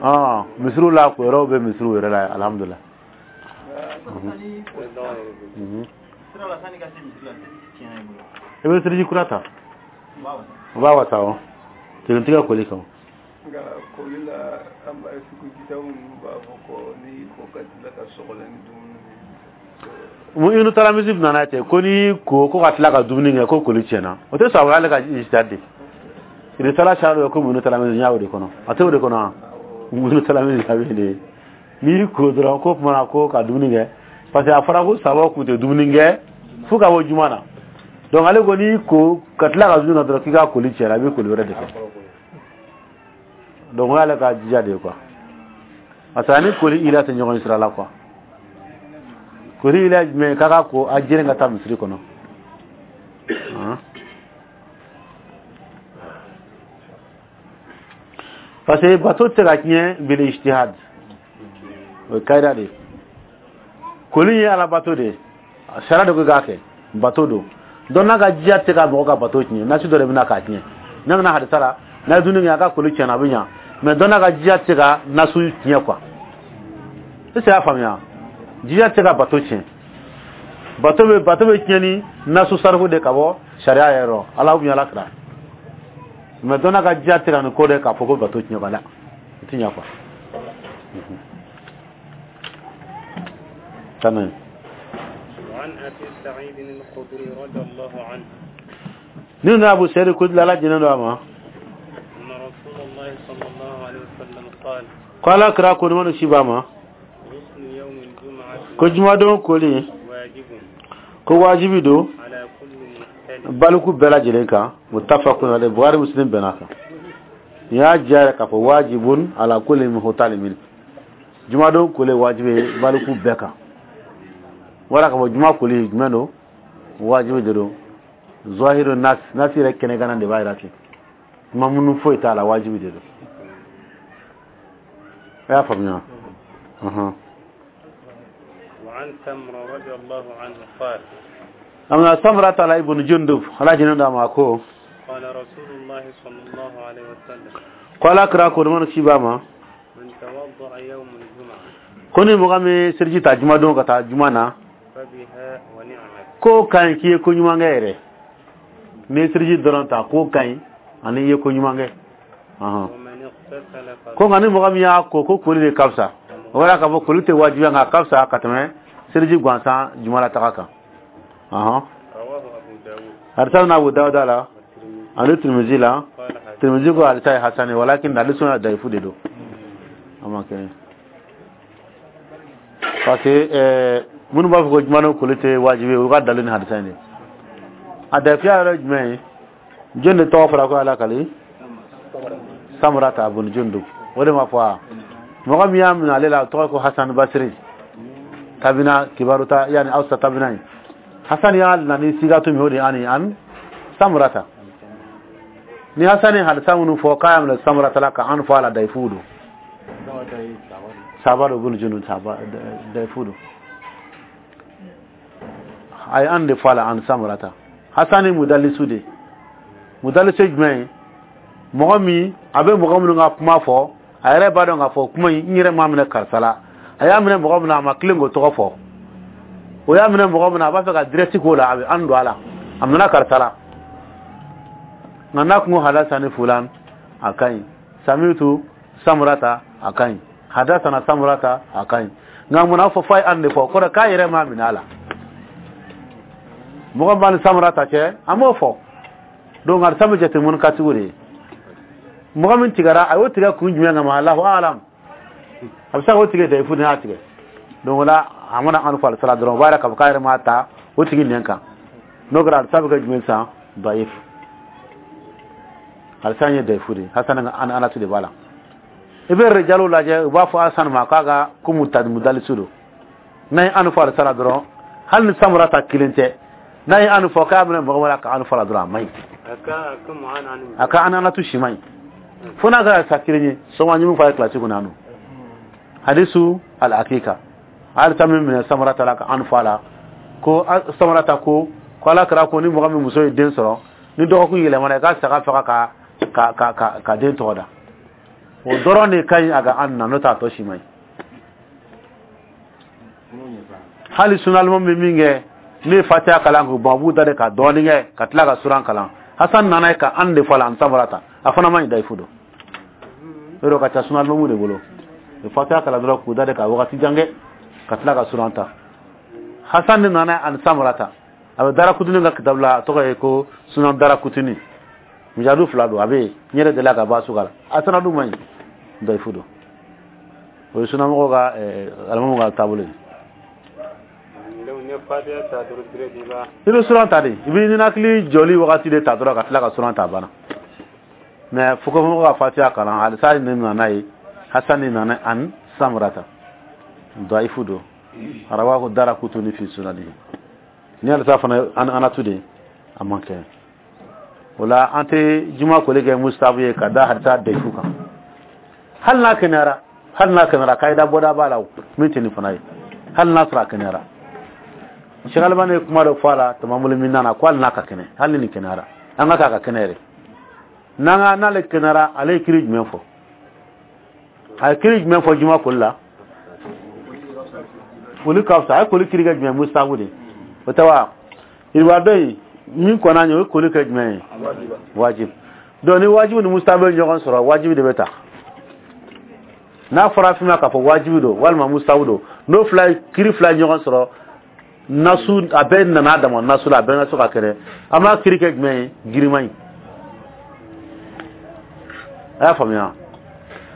ah misiriw la ko yɔrɔw bɛ misiriw yɛrɛ la alhamdulilah Mhm. Sira la sani ka se misiri la seliji tiɲɛna i bolo i bɛ seliji kura ta o b'a wasa o b'a wasa o tigɛ koli kan nka koli la an b'a sugu kitabu ninnu b'a fɔ ko n'i ko ka tila ka sɔgɔlɛ ni dumuni mun inu taramisi nana ten ko n'i ko ko ka tila ka dumuni kɛ ko koli tiɲɛna o tɛ sɔn ale ka ijtihad de risala sariya dɔ ko munu taramisi n y'a o de kɔnɔ a tɛ o de kɔnɔ wa munu taramisi a bɛ de n'i ko dɔrɔn ko tuma na ko ka dumuni kɛ parce que a fɔra ko sababu kun tɛ dumuni kɛ fo ka bɔ juma na donc ale ko n'i ko ka tila ka dumuni kɛ dɔrɔn k'i ka koli tiɲɛna i bɛ koli wɛrɛ de kɛ donc o y'ale ka jija de ye quoi parce que ani koli ila tɛ ɲɔgɔn sira la quoi koli ila jumɛn k'a ka ko a jeren ka taa misiri kɔnɔ Han. Parce que bato tɛ ka tiɲɛ bil ijtihad o ye kayida de ye koli ye ala bato de ye sariya de ko k'a kɛ bato don donc n'a ka jiya tɛ ka mɔgɔ ka bato tiɲɛ nasi dɔ de bɛna k'a tiɲɛ n'a nana hadisa la n'a ye dumuni kɛ a ka koli tiɲɛna a bɛ ɲa mais donc n'a ka jiya tɛ ka nasu tiɲɛ quoi est ce que y'a faamuya jiya tɛ ka bato tiɲɛ bato bɛ bato bɛ tiɲɛ ni nasu sarifu de ka bɔ sariya yɛrɛ rɔ ala ou bien ala kira mais donc n'a ka jiya tɛ ka nin ko de k'a fɔ ko bato tiɲɛ quoi la o tɛ ɲɛ quoi تمام وعن أبي سعيد الخدري رضي الله عنه ni na abu sari kudla ala jinen do ama أن رسول الله صلى الله عليه وسلم قال ko ala kira ko ni wani shi ba ma غسل يوم الجمعة ko jumadon koli واجب ko wajibi do على كل محتلم baliku bɛɛ lajɛlen kan muttafaqun alayhi bukhari muslim bɛnna kan ni y'a diya yɛrɛ k'a fɔ wajibun ala kulli muhtalimin jumadon koli wajibi ye baliku bɛɛ kan wala k'a fɔ juma koli jumɛn don wajibi de don zahiru nas nas yɛrɛ kɛnɛgana de b'a jira ten kuma minnu foyi t'a la wajibi de don a y'a faamuya ɔhɔn وعن سمرة رضي الله عنه قال amma samra tala ibn jundub ala jinin da ma ko قال رسول الله صلى الله عليه وسلم ko ala kira ko mana ci ba ma من توضأ يوم الجمعة ko ni mɔgɔ min siriji ta jumadon ka taa juma na فبها ونعمت ko ka ɲi k'i ye ko ɲuman kɛ yɛrɛ n'i ye siriji dɔrɔn ta ko ka ɲi ani i ye ko ɲuman kɛ ɔhɔn ومن اغتسل ko nka ni mɔgɔ min y'a ko ko koli de ka fisa o kɔrɔ k'a fɔ koli tɛ wajibiya nka a ka fisa ka tɛmɛ siriji gansan juma la taga kan ɔhɔn رواه أبو داود hadisa na Abu Dawuda la والترمذي ani Tirmizi la قال حديث Tirmizi ko hadisa ye hasan ye walakin hadisi suna daifu de don a ma kɛ parce que ɛɛ minnu b'a fɔ ko juma ni koli tɛ wajibi ye u ka dalilu ni hadisa in de a daifuya yɛrɛ ye jumɛn ye jɔn de tɔgɔ fɔra ko ala kali Samurata bun Jundub o de ma fɔ wa mɔgɔ min y'a minɛ ale la o tɔgɔ ko Hasan Basiri tabina kibaru ta yani awsa tabina ye Hasan y'a na ni sigatu min o de ye ani an Samurata ni Hasani hadisa minnu fɔ k'a y'a minɛ Samurata la ka an fɔ a la dayifu don saba don bunu junu saba dayifu don a ye an de fɔ a la an Samurata Hasani mudalisu de mudalisu ye jumɛn ye mɔgɔ min a bɛ mɔgɔ minnu ka kuma fɔ a yɛrɛ b'a dɔn k'a fɔ kuma in n yɛrɛ m'a minɛ karisa la a y'a minɛ mɔgɔ min na a ma tilen k'o tɔgɔ fɔ o y'a minɛ mɔgɔ min na a b'a fɛ ka direct k'o la a bɛ an don a la a minɛ karisa la nka n'a kun ko hadasani fulan a ka ɲi samitu Samurata a ka ɲi hadasana Samurata a ka ɲi nka mun n'a fɔ f'a ye an de fɔ kɔrɔ k'a yɛrɛ m'a minɛ a la mɔgɔ b'a ni Samurata cɛ an b'o fɔ donc hadisa bɛ jate mun katigiw de ye mɔgɔ min tigɛra a y'o tigɛ kun jumɛn kama Allahu alam a bɛ se k'o tigɛ dayifu de y'a tigɛ donc o la a mana an fɔ alisala dɔrɔn o b'a yira k'a fɔ k'a yɛrɛ m'a ta o tigi nɛn kan n'o kɛra alisa bɛ kɛ jumɛn sisan dayif alisa ye dayifu de ye Hasan an anatu de b'a la i bɛ rijalu lajɛ u b'a fɔ Hasan ma k'a ka ko mudalisu don n'a ye an fɔ alisala dɔrɔn hali ni Samurata kelen tɛ n'a ye an fɔ k'a minɛ mɔgɔ wɛrɛ ka an fɔ la dɔrɔn a man ɲi a ka an anatu si man ɲi fo n'a kɛra sa kelen ye sɔgɔma ɲuman fɔ a ye kilasi kɔnɔ yan nɔ hadisu al-hakika halisa min minɛ Samurata la ka an fɔ a la ko Samurata ko ko ala kɛra ko ni mɔgɔ min muso ye den sɔrɔ ni dɔgɔkun yɛlɛmana i ka saga faga ka ka ka ka ka den tɔgɔ da o dɔrɔn de ka ɲi a ka an na n'o tɛ a tɔ si man ɲi hali sunalima bɛ min kɛ ne ye fatiya kalan k'u ban u b'u da de ka dɔɔnin kɛ ka tila ka suran kalan Hasan nana ye ka an de fɔ a la an Samurata a fana man ɲi dayifu don o de ka ca sunalimamu de bolo u fatiya kalan dɔrɔn k'u da de ka wagati jan kɛ ka tila ka suran ta Hasan de nana ani Samurata a bɛ Darakutuni ka kitabu la a tɔgɔ ye ko sunan Darakutuni mujadu fila don a bɛ yen n yɛrɛ delila ka bɔ a suga la a sanadu man ɲi dayifu don o ye sunamɔgɔw ka alimamu ka taabolo ye i bɛ suran ta de i bɛ ninakili jɔli wagati de ta dɔrɔn ka tila ka suran ta a banna mais fokofoko ka fatiya kalan halisa ne nana ye Hasan ne nana an Samurata dayifu don rawahu Darakutuni fi sunanihi ni halisa fana an anatu de a man kɛ o la an tɛ juma koli kɛ mustafu ye ka da hadisa dayifu kan hali n'a kɛnɛyara hali n'a kɛnɛyara kayida bɔda b'a la min tɛ nin fana ye hali n'a sɔrɔ a kɛnɛyara Cheikh Albani ye kuma dɔ fɔ a la tamamulu min nana ko hali n'a ka kɛnɛ hali ni nin kɛnɛyara an ka k'a ka kɛnɛ yɛrɛ n'an ka n'ale kɛnɛyara ale ye kiri jumɛn fɔ a ye kiri jumɛn fɔ juma koli la koli ka fisa a ye koli kiri kɛ jumɛn mustafu de o tɛ wa yiriwa dɔ in min kɔnna ɲɛ o ye koli kɛ jumɛn ye wajib donc ni wajibi ni mustafu ye ɲɔgɔn sɔrɔ wajibi de bɛ ta n'a fɔra fɛn ma k'a fɔ wajibi don walima mustafu don n'o fila kiri fila ye ɲɔgɔn sɔrɔ nasu a bɛɛ nana a dama nasu la a bɛɛ nasu ka kɛnɛ an b'a kiri kɛ jumɛn ye girinman ye a y'a faamuya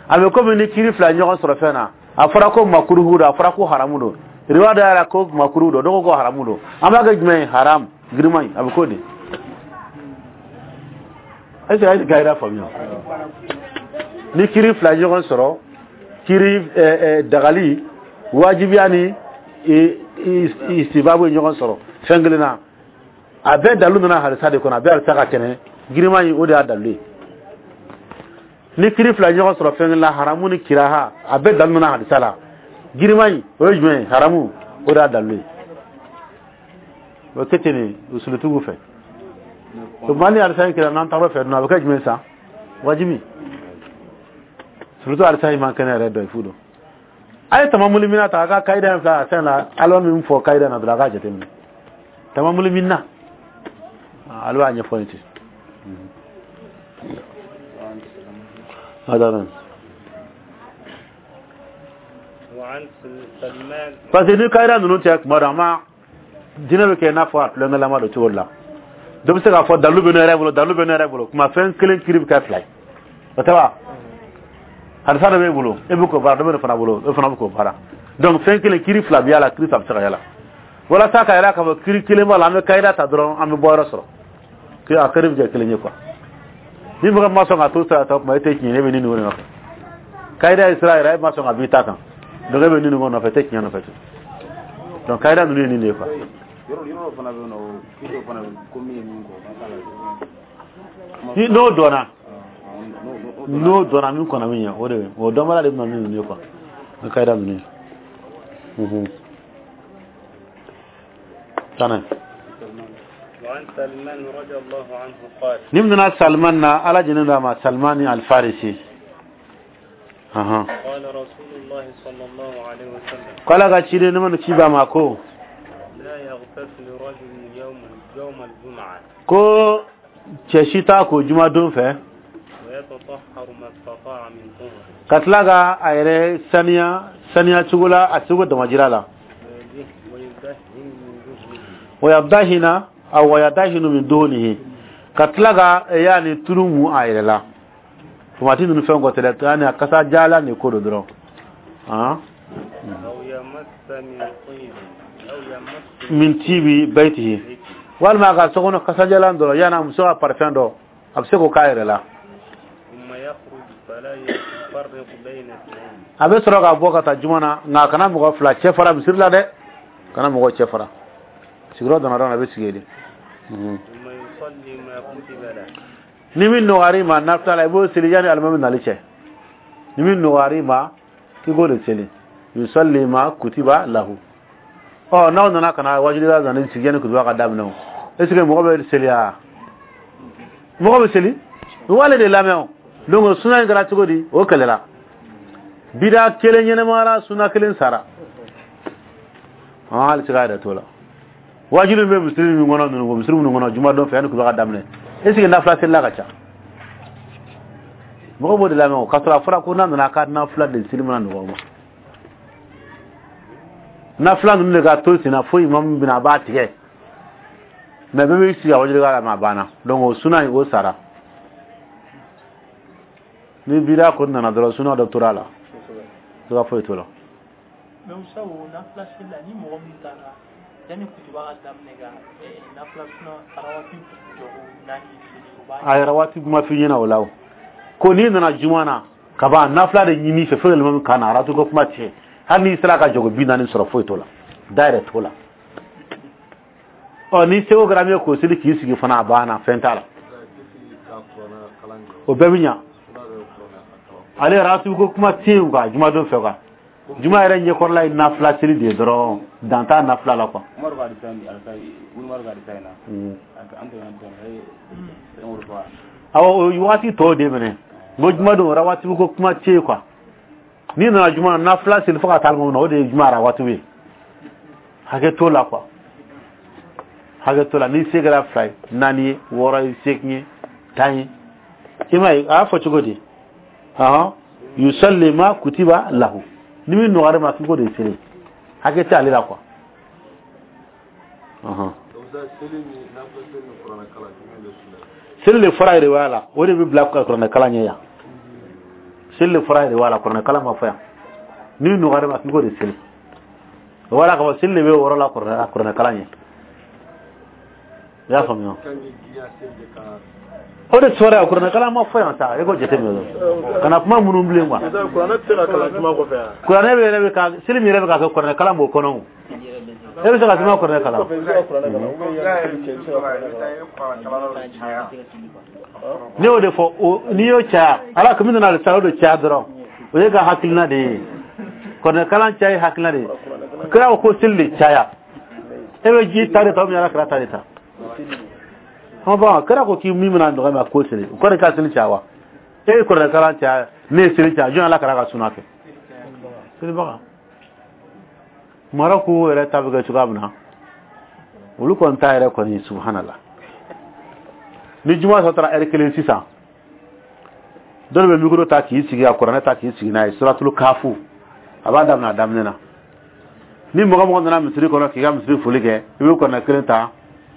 a bɛ komi ni kiri fila ɲɔgɔn sɔrɔ fɛn na a fɔra ko makuruhu don a fɔra ko haramu don riwaya dɔ yɛrɛ ko makuruhu don dɔw ko haramu don an b'a kɛ jumɛn ye haram girinman ye a bɛ k'o de est ce que a ye gayira faamuya ni kiri fila ɲɔgɔn sɔrɔ kiri dagali wajibiya ni istibabu ye ɲɔgɔn sɔrɔ fɛn kelen na a bɛɛ dalu nana halisa de kɔnɔ a bɛɛ halisa ka kɛnɛ girinman in o de y'a dalu ye ni kiri fila ɲɔgɔn sɔrɔ fɛn kelen na haramu ni kiraha a bɛɛ dalu nana halisa la girinman in o ye jumɛn ye haramu o de y'a dalu ye o tɛ ten de usulutigiw fɛ o tuma ni halisa in kɛra n'an taara fɛ dun a bɛ kɛ jumɛn sa wajibi surtout halisa in man kɛnɛ yɛrɛ dɔ fu don a ye tamamuli mina ta a ka kayida in filɛ a fɛn la ala min fɔ kayida na dɔrɔn a k'a jateminɛ tamamuli mina ale b'a ɲɛfɔ nin ten parce que ni kayida ninnu tɛ kuma dɔ a ma jinɛ bɛ kɛ i n'a fɔ a tulonkɛlama don cogo dɔ la dɔ bɛ se k'a fɔ dalu bɛ ne yɛrɛ bolo dalu bɛ ne yɛrɛ bolo kuma fɛn kelen kiri bɛ kɛ fila ye o tɛ wa hadisa dɔ b'e bolo e bɛ k'o baara dɔ bɛ ne fana bolo e fana bɛ k'o baara donc fɛn kelen kiri fila bɛ y'a la kiri saba bɛ se ka y'a la walasa ka yira k'a fɔ kiri kelen b'a la an bɛ kayida ta dɔrɔn an bɛ bɔ yɔrɔ sɔrɔ a kiri bɛ kɛ kelen ye quoi ni mɔgɔ ma sɔn ka to sira ta kuma e tɛ tiɲɛ e bɛ nin nin nɔfɛ kayida ye sira yɛrɛ e ma sɔn ka b'i ta kan donc e bɛ nin nin nɔfɛ e tɛ tiɲɛ nɔfɛ donc kayida ninnu ye nin de ye quoi Yɔrɔ yɔrɔ fana bɛ yen nɔ, kiri dɔ fana bɛ ko min ye min kɔ, an t'a la. Ni n'o dɔnna, n'o dɔnna min kɔnna min ɲɛ, o de bɛ o dɔnbaliya de bɛ na ni ninnu ye quoi, ni kayida ninnu ye. Mhm. Tana. وعن سلمان رضي الله عنه قال Ni nana Salman na, Ala jɛnen don a ma, Salmani Alfarisi. Ahan. قال رسول الله صلى الله عليه وسلم Ko Ala ka ciden ne ma ci ba ma ko لا يغتسل رجل يوم يوم الجمعة ko cɛ si t'a ko jumadon fɛ ويتطهر ما استطاع من طهر ka tila ka a yɛrɛ saniya saniya cogo la, a cogo damajira la. ويده- ويدهن من دهنه Wayadahina aw wayadahinu min duhunihi, ka tila ka yani tulu mu a yɛrɛ la, tomati ninnu fɛn kɔ tɛ dɛ, yani a kasa jala ni ko do dɔrɔn han. أو يمس من طيب أو يمس Min tibi baitihi, walima a ka so kɔnɔ kasajalan dɔrɔn, yani a muso ka parfum dɔ, a bɛ se k'o k'a yɛrɛ la. ثم يخرج فلا يفرق بين اثنين A bɛ sɔrɔ ka bɔ ka taa juma na, nka a kana mɔgɔ fila cɛ fara misiri la dɛ, kana mɔgɔ cɛ fara sigiyɔrɔ dama dama, a bɛ sigi yen de. Mhm. ثم يصلي ما كتب له Ni min nɔgɔyara i ma nafila la, i b'o seli yanni alimami nali cɛ. Ni min nɔgɔyara i ma, k'i k'o de seli, yusalli ma kutiba lahu. Ɔ, n'aw nana ka na wajulila nana sigi yanni kutuba ka daminɛ, o est ce que mɔgɔ bɛ seli wa? Mɔgɔ bɛ seli, o b'ale de lamɛn. O donc suna in kɛra cogo di? O kɛlɛla bida kelen ɲɛnɛmayara, suna kelen sara. An hali se k'a yɛrɛ t'o la. Wajulu bɛ misiri min kɔnɔ ninnu, misiri minnu kɔnɔ juma don fɛ, yanni kutuba ka daminɛ, est ce que nafila selila ka ca? Mɔgɔ b'o de lamɛn. O k'a sɔrɔ a fɔra ko n'a nana k'a nafila de seli mana nɔgɔ o ma, nafila ninnu de ka to sen na fo imamu bɛna a b'a tigɛ, mɛ bɛɛ b'i sigi a wajulu la, ma a banna. Donc o suna in, o sara. Ni bida kɔni nana dɔrɔn, suna dɔ tora a la, siga foyi t'o la. Mais Usa, o nafila seli la, ni mɔgɔ min taara yanni kutuba ka daminɛ ka eh, nafila suna arawati jɔgo naani seli, o b'a A yɛrɛ waati kuma f'i ɲɛna o la, o ko n'i nana juma na ka ban, nafila de ɲini fɛ fo yɛlɛma min ka na aratu ko kuma tiɲɛ, hali n'i sera ka jɔgo bi naani sɔrɔ, foyi t'o la, da yɛrɛ t'o la. Ɔ, ni seko kɛra min ye k'o seli k'i sigi fana, a banna, fɛn t'a la, o bɛɛ bɛ ɲa. Ale yɛrɛ atu ko kuma tɛ yen quoi, jumadon fɛ quoi, juma yɛrɛ ɲɛkɔrɔla ye nafila seli de ye dɔrɔn, dan t'a nafila la quoi. Umaru ka hadisa in, alisa Umaru ka hadisa in na, an tɛmɛna dɔɔnin, a ye fɛn o de fɔ. Awɔ, o waati tɔw de minɛ n ko jumadon rawatibu ko kuma tɛ yen quoi. N'i nana juma na, nafila seli fo ka taa alimami na, o de ye juma rawatibu ye. Hakɛ t'o la quoi, hakɛ t'o la. Ni se kɛra fila ye, naani ye, wɔɔrɔ ye, seegin ye, tan ye, i m'a ye a y'a fɔ cogo di? Ɔhɔn, yusalli ma kutiba lahu, ni min nɔgɔyara ma, k'i k'o de seli, hakɛ tɛ ale la quoi. Ɔhɔn. Seli de fɔra yɛrɛ la, o de bɛ bila kuranɛ kalan ɲɛ yan. Seli de fɔra yɛrɛ la, kuranɛ kalan ma fɔ yan. Ni nɔgɔyara ma, k'i k'o de seli, o b'a la k'a fɔ seli de bɛ o yɔrɔ la kuranɛ kalan ɲɛ. I y'a faamuya? O de sɔrɔ yan, kuranɛ kalan ma fɔ yan sa. E ko jateminɛ dɔrɔn, kana kuma minnu bilen quoi. Kuranɛ tɛ se ka kalan juma kɔfɛ yan? Kuranɛ bɛ yɛrɛ bɛ ka seli min yɛrɛ bɛ ka kɛ, kuranɛ kalan b'o kɔnɔ. O e bɛ se ka suma kuranɛ kalan. Kɔfɛ i bɛ se ka kuranɛ kalan, ou bien yanni seli cɛ, i bɛ se ka kuranɛ kalan. Ne y'o de fɔ o, n'i y'o caya, ala komi nana sa, o de caya dɔrɔn, o ye ka hakilina de ye. Kuranɛ kalan caya ye hakilina de ye. Kira ko ko seli de caya, e bɛ ji ta de ta, ou bien ala kira ta de ta? Bon, kira ko k'i min bɛna nɔgɔya ma ko seli, o kɔrɔ ka seli caya wa? E ye kuranɛ kalan caya, ne ye seli caya, jɔn ala kira ka suna kɛ selibaga? Marɔku yɛrɛ ta bɛ kɛ cogoya min na, olu kɔni ta yɛrɛ kɔni, subhanallah, ni juma sɔ taara ɛri kelen sisan, dɔw bɛ micro ta k'i sigi ka kuranɛ ta k'i sigi n'a ye, suratul kafu a b'a daminɛ a daminɛ na. Ni mɔgɔ mɔgɔ nana misiri kɔnɔ k'i ka misiri foli kɛ, i bɛ kuranɛ kelen ta,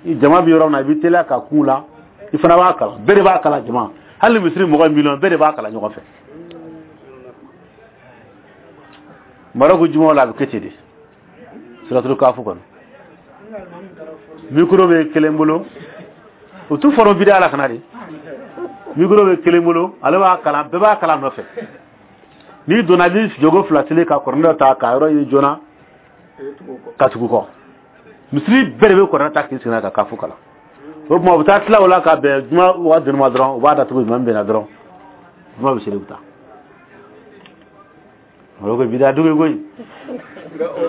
jama bɛ yɔrɔ min na, i bɛ teliya ka kun la, i fana b'a kalan, bɛɛ de b'a kalan jama, hali misiri mɔgɔ miliyɔn bɛɛ de b'a kalan ɲɔgɔn fɛ. Marɔku jumaw la, a bɛ kɛ ten de, suratul kafu kɔnɔ, micro bɛ kelen bolo, o t'u fɔrɔ bida la kana de, micro bɛ kelen bolo, ale b'a kalan, bɛɛ b'a kalan nɔfɛ. N'i donna, i bɛ jogo fila seli ka kuranɛ ta ka yɔrɔ ɲini joona ka tugu kɔ. Misiri bɛɛ de bɛ kuranɛ ta k'i sigi n'a ka kafu kalan. O tuma u bɛ taa tila o la ka bɛn juma waati dɔ ma dɔrɔn, u b'a datugu, imam bɛnna dɔrɔn, juma bɛ seli, u bɛ taa. O ko bidaa dugu koyi,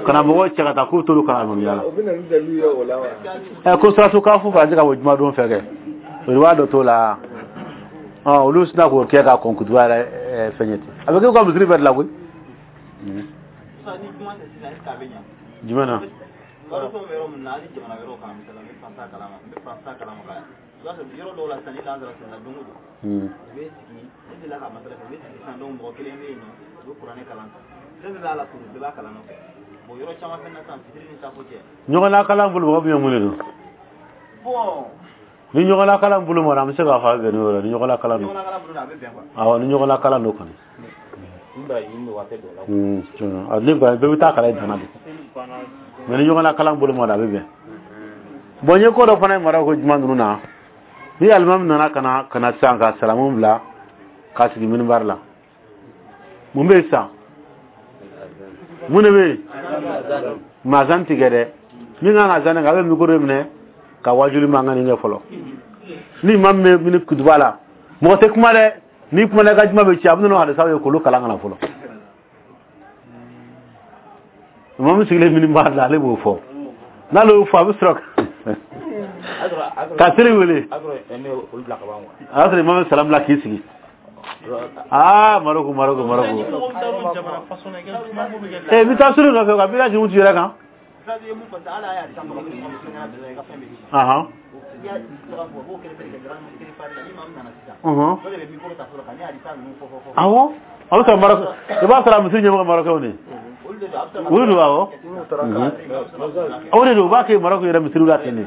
kana mɔgɔw cɛ ka taa k'u t'olu kalan alimamiya la. O bɛ na ni dalilu ye o la wa? Ɛ, ko suratu kafu fana tɛ ka bɔ juma don fɛ kɛ, o b'a dɔ t'o la. Ɔ, olu sina k'o kɛ ka kɔn kutuba yɛrɛ fɛn ye ten, a bɛ kɛ u ka misiri bɛɛ de la koyi. Jumɛn na? I b'a sɔrɔ yɔrɔ dɔw la sisan, ni lansara selila don o don, u bɛ sigi, ne delila ka masala kɛ, u bɛ sigi sisan, donc mɔgɔ kelen bɛ yen nɔ, u bɛ kuranɛ kalan, fɛn bɛɛ b'a la, turu bɛɛ b'a kalan nɔfɛ. Bon, yɔrɔ caman fɛnɛ na sisan, fitiri ni safo cɛ. Ɲɔgɔnna kalan bolo mɔgɔ bɛ mun de don? Bon. Ni ɲɔgɔnna kalan bolo mara, an bɛ se k'a fɔ a bɛ bɛn n'o yɔrɔ ye, ni ɲɔgɔnna kalan don. Ɲɔgɔnna kalan bolo a bɛ bɛn quoi. Awɔ, ni ɲɔgɔnna kalan don kɔni. A ne bɛɛ bɛ taa kalan i danna de, mais ni ɲɔgɔnna kalan bolo mara, a bɛ bɛn. Bon, n ye ko dɔ fana ye mara ko juma ninnu na, ni alimami nana ka na ka na sisan ka salamu bila k'a sigi minibari la, mun bɛ yen sisan? Mun de bɛ yen? Mazan tigɛ dɛ, min kan ka zan kɛ, a bɛ mikoro minɛ ka wajuli mankan nin kɛ fɔlɔ. Ni imam bɛ mini kutuba la, mɔgɔ tɛ kuma dɛ, ni kumana i ka juma bɛ ci. A bɛ n'o hadisaw ye k'olu kalan ka na fɔlɔ. Imam sigilen minibari la, ale b'o fɔ, n'ale y'o fɔ, a bɛ sɔrɔ ka seli wele, a y'a sɔrɔ imam salam bila k'i sigi. Aa, Maroko, Maroko, Maroko, eh, bi taa seli nɔfɛ ka bi jugu yɛrɛ kan. Ahan, awɔ, a bɛ sɔrɔ Maroko, i b'a sɔrɔ a misiri ɲɛmɔgɔ Marokɛw de olu don. Awɔ, o de don, u b'a kɛ Maroko yɛrɛ misiriw la ten de.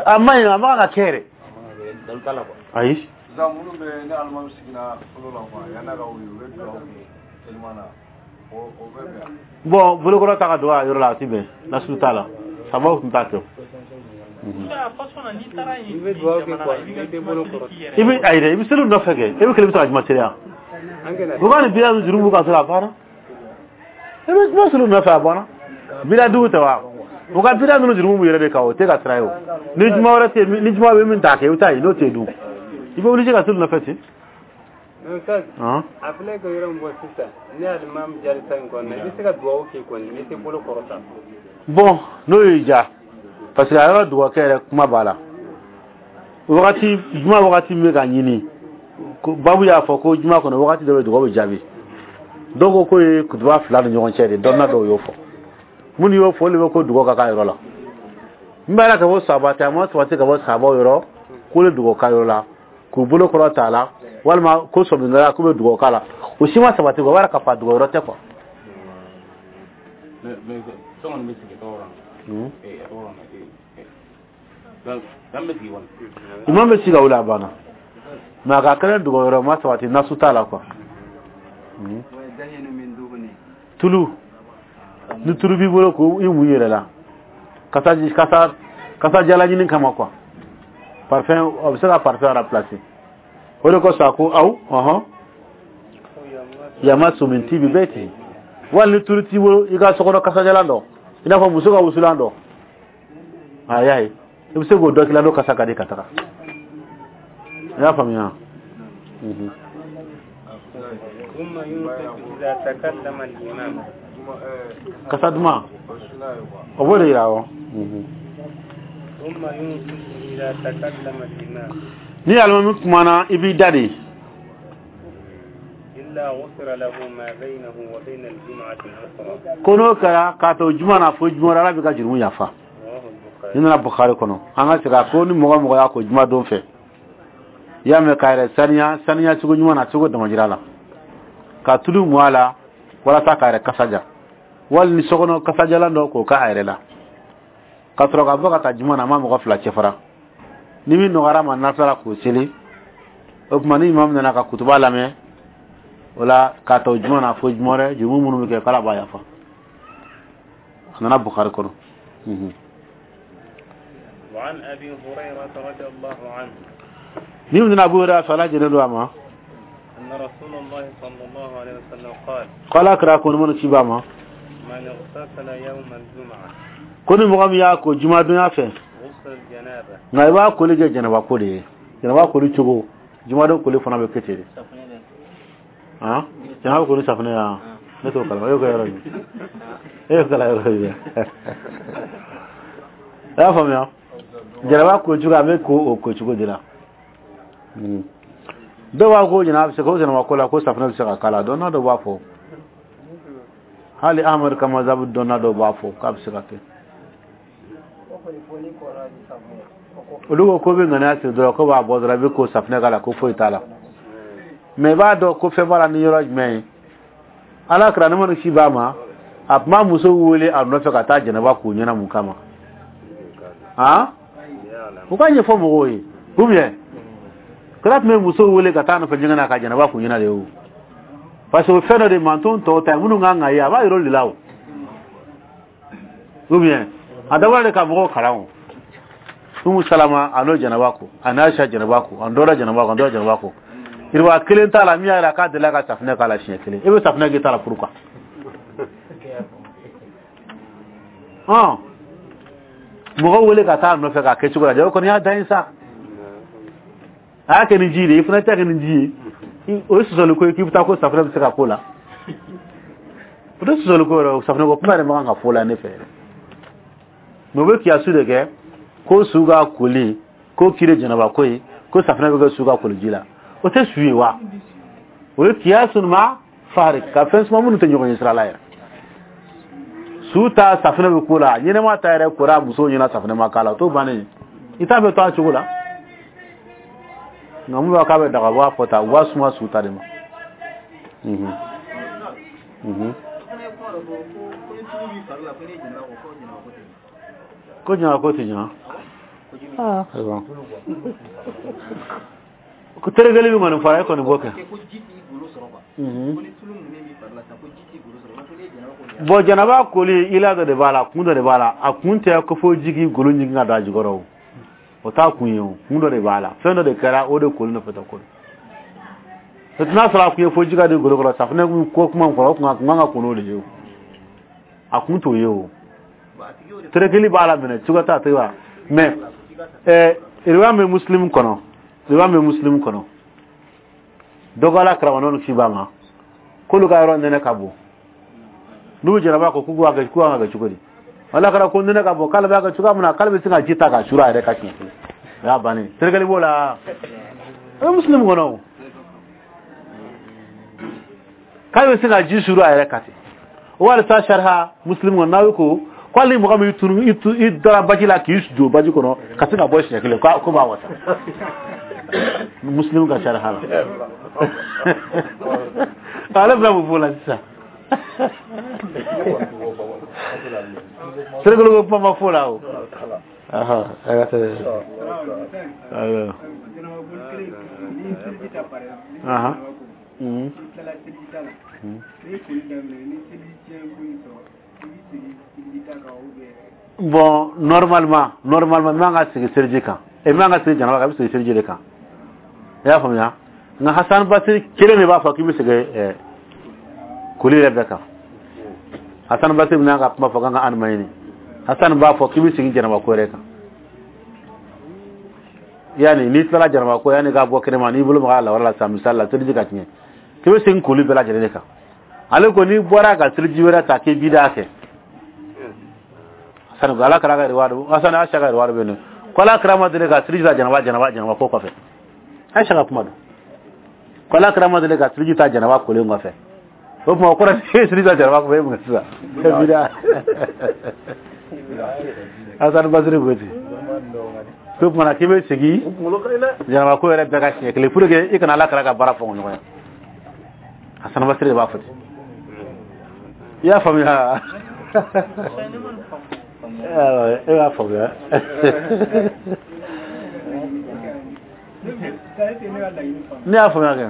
A ma ɲi, a man kan ka kɛ yɛrɛ. Ayi. Sisan minnu bɛ ni alimami sigira fɔlɔ la quoi, yan'a ka wuli, u bɛ dugawu kɛ teliman na, o o bɛ bɛn. Bon, bolokɔrɔ ta ka don a yɔrɔ la, a ti bɛn, nasiru t'a la, sabaw tun t'a kɛ. I bɛ dugawu kɛ quoi, i tɛ bolo kɔrɔ. I bɛ ayi dɛ, i bɛ seli nɔfɛ kɛ, e bɛ kelen bɛ se ka juma seli yan. U ka nin bida juru b'u kan sɔrɔ a banna, i bɛ juma seli nɔfɛ, a banna. Bida dugu tɛ wa? U ka bida ninnu juru b'u yɛrɛ de kan, o tɛ ka sira ye o. Ni juma wɛrɛ tɛ yen, ni juma bɛ min t'a kɛ, i bɛ taa yen, n'o tɛ yen dun, i bɛ obligé ka seli nɔfɛ ten. A filɛ ka yɔrɔ min fɔ sisan, ne alimami jalisa in kɔnɔ, i bɛ se ka dugawu kɛ kɔni, i tɛ bolo kɔrɔta. Bon, n'o y'i diya, parce que a yɔrɔ dugawukɛ yɛrɛ kuma b'a la. Wagati juma, wagati min bɛ ka ɲini, babu y'a fɔ ko juma kɔnɔ wagati dɔ bɛ dugawu bɛ jaabi. Dɔw ko k'o ye kutuba fila ni ɲɔgɔn cɛ de, dɔnna dɔw y'o fɔ, minnu y'o fɔ, olu bɛ ko dugawu ka k'a yɔrɔ la. N b'a la ka bɔ sahaba tɛ, a ma sabati ka bɔ sahabaw yɔrɔ k'olu dugawu k'a yɔrɔ la k'u bolo kɔrɔ t'a la, walima ko sɔmina k'u bɛ dugawu k'a la, o si ma sabati quoi, o b'a yira k'a fɔ a dugawu yɔrɔ tɛ quoi. Imam bɛ sigi ka wuli, a banna, mais a ka kɛnɛ dugawu yɔrɔ ma sabati, nasu t'a la quoi. Tulu, ni tulu b'i bolo k'o i mun yɛrɛ la, kasa kasa kasa jala ɲini kama quoi, parfum, a bɛ se ka parfum remplacer. O de kosɔn a ko aw ɔhɔn yamasu min tibi baiti, wali ni tulu t'i bolo, i ka sokɔnɔ kasajalan dɔ, i n'a fɔ muso ka wusulan dɔ, a y'a ye, i bɛ se k'o dɔ k'i la, n'o kasa ka di ka taga. I y'a faamuya? Kasa duman, o b'o de yira. Awɔ, ni alimami kumana, i b'i da de. Ko n'o kɛra k'a to juma na fo juma wɛrɛ, Ala b'i ka jurumu yafa. Ni nana Bukhari kɔnɔ, an ka segin a ko ni mɔgɔ mɔgɔ y'a ko juma don fɛ, i y'a mɛn, k'a yɛrɛ saniya saniya cogo ɲuman na, cogo damajira la, ka tulu mu a la walasa k'a yɛrɛ kasa ja, wali ni sokɔnɔ kasajalan dɔ k'o k'a yɛrɛ la, ka sɔrɔ ka bɔ ka taa juma na, a ma mɔgɔ fila cɛ fara, ni min nɔgɔyara ma nafila la k'o seli. O tuma ni imam nana ka kutuba lamɛn o la, k'a ta o juma na fo juma wɛrɛ, jurumu minnu bɛ kɛ, k'Ala b'a yafa. A nana Bukhari kɔnɔ. وعن أبي هريرة رضي الله عنه ni nana Abu Hurairah fɛ, Ala jɛnnen don a ma, أن رسول الله صلى الله عليه وسلم قال k'Ala kira ko ni minnu ci b'a ma, ما من اغتسل يوم الجمعة ko ni mɔgɔ min y'a ko jumadonya fɛ غسل الجنابة nka i b'a koli kɛ janaba ko de ye janaba koli cogo jumadon koli fana bɛ kɛ ten de safunɛ bɛ han janaba koli safunɛ ya ne t'o kalama e y'o kɛ yɔrɔ jumɛn e y'o kalan yɔrɔ jumɛn i y'a faamuya janaba ko cogo a bɛ ko o ko cogo de la dɔw b'a ko janaba bɛ se ko janaba ko la ko safunɛ bɛ se ka k'a la dɔnna dɔw b'a fɔ hali Ahmad ka mazabu dɔnna dɔw b'a fɔ k'a bɛ se ka kɛ olu ko ko bɛ ŋaniya siri dɔrɔn ko b'a bɔ dɔrɔn i bɛ ko safunɛ k'a la ko foyi t'a la mɛ i b'a dɔn ko fɛn b'a la ni yɔrɔ jumɛn ye ala kɛra ne mana si b'a ma a tun b'a muso wele a nɔfɛ ka taa jɛnɛba k'u ɲɛna mun kama han u ka ɲɛfɔ mɔgɔw ye ou bien kira tun bɛ muso wele ka taa nɔfɛ ɲɛgɛn na ka jɛnɛba k'u ɲɛna de o parce que o fɛn dɔ de manton tɔw ta ye minnu kan ka ye a b'a yɔrɔ de la o ou bien a dabɔra de ka mɔgɔw kalan o Umu Salama a n'o jɛnɛba ko a n'a Aisha jɛnɛba ko a dɔwɛrɛ jɛnɛba ko a dɔwɛrɛ jɛnɛba ko yiriwa kelen t'a la min y'a yira k'a delila ka safunɛ k'a la siɲɛ kelen e bɛ safunɛ k'i ta la pourquoi hɔn mɔgɔ wele ka taa nɔfɛ k'a kɛ cogo la o kɔni y'a dan ye sa a y'a kɛ ni ji de ye i fana t'a kɛ ni ji ye o ye sɔsɔli ko ye k'i bɛ taa ko safunɛ bɛ se ka k'o la o tɛ sɔsɔli ko yɛrɛ safunɛ ko kuma yɛrɛ man kan ka fɔ o la ne fɛ yɛrɛ mɛ u bɛ kiyasu de kɛ ko su ka koli ko kiri jɛnɛba ko ye ko safunɛ bɛ kɛ su ka koliji la o tɛ su ye wa o ye kiyasu ma fari ka fɛn suma minnu tɛ ɲɔgɔn ye sira la yɛrɛ su ta safunɛ bɛ ko la ɲɛnɛma ta yɛrɛ kora musow ɲɛna safunɛ ma k'a la o t'o bannen ye i t'a bɛ to a cogo la nka mun b'a k'a bɛ daga u b'a fɔ tan u b'a suma su ta de ma. Mhm. Mhm. Ko jɛnɛba ko tɛ ɲa ah ayiwa ko terekeli min kɔni fɔra e kɔni b'o kɛ. Bon janaba koli ila dɔ de b'a la kun dɔ de b'a la a kun tɛ ko fo ji k'i golo ɲigin ka don a jukɔrɔ o o t'a kun ye o kun dɔ de b'a la fɛn dɔ de kɛra o de koli nɔfɛ tɛ koli n'a sɔrɔ a kun ye fo ji ka don golo kɔrɔ safunɛ ko kuma kɔrɔ o kun kan ka kun n'o de ye o a kun t'o ye o terekeli b'a la minɛ cogo t'a tɛ wa mɛ ɛɛ riwaya bɛ muslim kɔnɔ riwaya bɛ muslim kɔnɔ dɔ ko ala karamɔgɔ kisi b'a ma k'olu ka yɔrɔ nɛnɛ ka bon n'u bɛ jɛnɛba ko k'u b'a kɛ k'u kan ka kɛ cogo di ala kɛra ko nɛnɛ ka bon k'ale b'a kɛ cogoya min na k'ale bɛ se ka ji ta ka suru a yɛrɛ ka siɲɛ kelen o y'a bannen terekeli b'o la o bɛ muslim kɔnɔ o k'ale bɛ se ka ji suru a yɛrɛ kan ten o walisa sariya muslim kɔnɔ n'aw ko ko hali mɔgɔ min tunu i tu i dara baji la k'i don baji kɔnɔ ka se ka bɔ siɲɛ kelen ko ko b'a wasa muslim ka sariya la ale bɛna mun f'o la sisan terekeli ko kuma ma f'o la o aha a ka tɛ ayiwa aha mhm bon normalement normalement i man ka sigi seliji kan i man ka sigi janaba kan i bɛ sigi seliji de kan i y'a faamuya nka Hasan Basiri kelen de b'a fɔ k'i bɛ sigi ɛɛ koli yɛrɛ bɛɛ kan Hasan Basiri bɛna ka kuma fɔ k'an ka an ma ɲini Hasan b'a fɔ k'i bɛ sigi janaba ko yɛrɛ kan yanni n'i tilala janaba ko yanni k'a bɔ kɛnɛma n'i bolo maga a lawara la sisan misali la seliji ka tiɲɛ k'i bɛ segin koli bɛɛ lajɛlen de kan ale ko n'i bɔra ka seliji wɛrɛ ta k'i b'i da kɛ sani ala kɛra ka riwaya Hasan Aisha ka riwaya bɛ yen ko ala kɛra ma deli ka seliji ta janaba janaba janaba ko kɔfɛ Aisha ka kuma don ko ala kɛra ma deli ka seliji ta janaba kolen kɔfɛ o tuma o kɔrɔ ye seliji ta janaba kɔfɛ e mun kɛ sisan e b'i da Hasan Basiri ko ten ko tuma na k'i bɛ segin janaba ko yɛrɛ bɛɛ ka siɲɛ kelen pour que i kana ala kɛra ka baara fɔ ɲɔgɔn ye Hasan Basiri de b'a fɔ ten i y'a faamuya e b'a faamuya ne y'a faamuya kɛ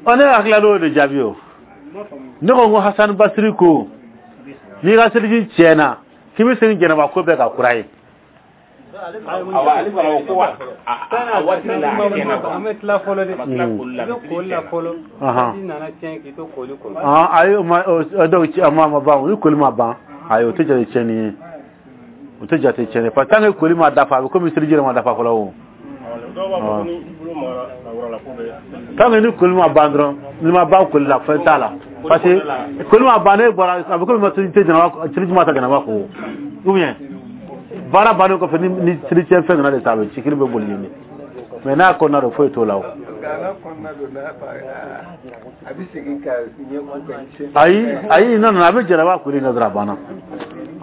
ɔ ne hakili l'o de jaabi o ne ko n ko Hasan Basiri ko n'i ka seliji tiɲɛna K'i bɛ segin jɛnɛba ko bɛɛ ka kura ye. Awa, ale fana ko ko a a waati la a tiɲɛna quoi. An bɛ tila fɔlɔ de. A ma tila koli la. I bɛ koli la fɔlɔ. Ahan. Waati nana tiɲɛ k'i to koli kɔnɔ. Ah, ayi, o ma o donc a ma ma ban, ni koli ma ban, ayi, o tɛ jate tiɲɛni ye, o tɛ jate tiɲɛni ye, parce que tant que koli ma dafa, a bɛ komi seliji yɛrɛ ma dafa fɔlɔ o. Dɔw b'a fɔ ko ni i bolo magara awra la, ko bɛ Tant que ni koli ma ban dɔrɔn, ni ma ban koli la, fɛn t'a la, parce que koli ma ban, ne bɔra, a bɛ komi seli tɛ jɛnɛba, seliji ma ta jɛnɛba ko, ou bien baara bannen kɔfɛ, ni ni seli tiɲɛ fɛn nana de sa, a bɛ sikiri bɛ boli yen de, mais n'a kɔnɔna don, foyi t'o la o. Nka n'a kɔnɔna don, n'a fa a bɛ segin ka ɲɛ ko ka tiɲɛ. Ayi, ayi, non non, a bɛ jɛnɛba koli in kɛ dɔrɔn, a banna.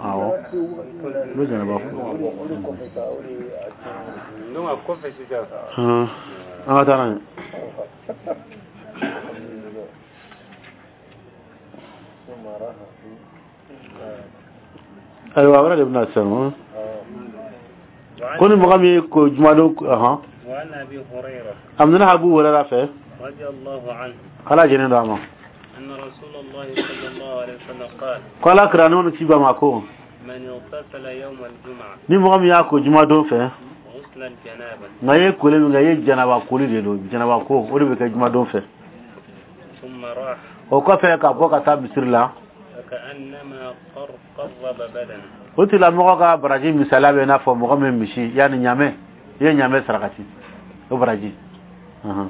Awɔ, a bɛ jɛnɛba ko. Donc a kɔfɛ sisan. Hum, an ka taa n'a ye. Ayiwa, wɛrɛ de bɛna sisan o. Ko ni mɔgɔ min ye ko jumadon ɔhɔn. وعن أبي هريرة A minɛna Abu Hurayra fɛ. رضي الله عنه Ala jɛnnen don a ma. أن رسول الله صلى الله عليه وسلم قال Ko Ala kira ne ci ba ma ko من اغتسل يوم الجمعة ni mɔgɔ min y'a ko jumadon fɛ, غسل الجنابة nka i ye koli min kɛ, i ye janaba koli de don, janaba ko o de bɛ kɛ jumadon fɛ. ثم راح O kɔfɛ ka bɔ ka taa misiri la, فكأنما قر قرب بدنه o tigilamɔgɔ ka baraji misaliya bɛ i n'a fɔ mɔgɔ min misi yanni ɲamɛ, i ye ɲamɛ sarakati, o baraji. Ɔhɔn.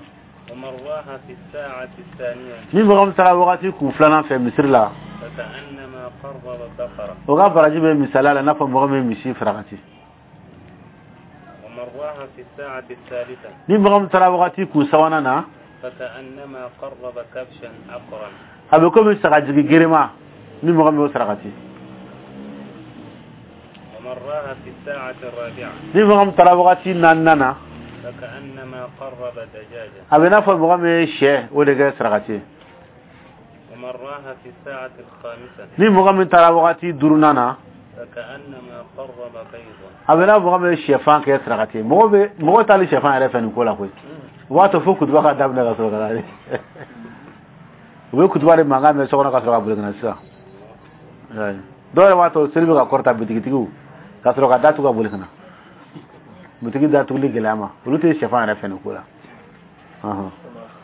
ومن راح في الساعة الثانية Ni mɔgɔ min taara wagati kun filanan fɛ misiri la, فكأنما قرب بقرة o ka baraji bɛ misaliya la i n'a fɔ mɔgɔ min ye misi farakati. ومن راح في الساعة الثالثة Ni mɔgɔ min taara wagati kun sabanan na, فكأنما قرب كبشا أقرا a bɛ komi sagajigi gerema, ni mɔgɔ min y'o sarakati. ومن راح في الساعة الرابعة Ni mɔgɔ min taara wagati naaninan na, فكأنما قرب دجاجة a bɛ i n'a fɔ mɔgɔ min ye sɛ o de kɛ sarakati ye. ومن راح في الساعة الخامسة Ni mɔgɔ min taara wagati duurunan na, فكأنما قرب بيضا a bɛ i n'a fɔ mɔgɔ min ye sɛfan kɛ sarakati ye. Mɔgɔ bɛ mɔgɔ t'ale sɛfan yɛrɛ fɛ nin ko la koyi. O b'a to fo kutuba ka daminɛ ka sɔrɔ ka na de. U bɛ kutuba de mankan mɛn so kɔnɔ ka sɔrɔ ka boli ka na sisan. Ayi. Dɔw yɛrɛ b'a to seli bɛ ka kɔrɔta, bitigitigiw ka sɔrɔ ka datugu ka boli ka na. Bitigi datuguli gɛlɛya ma, olu tɛ sɛfan yɛrɛ fɛ nin ko la. Ɔhɔn.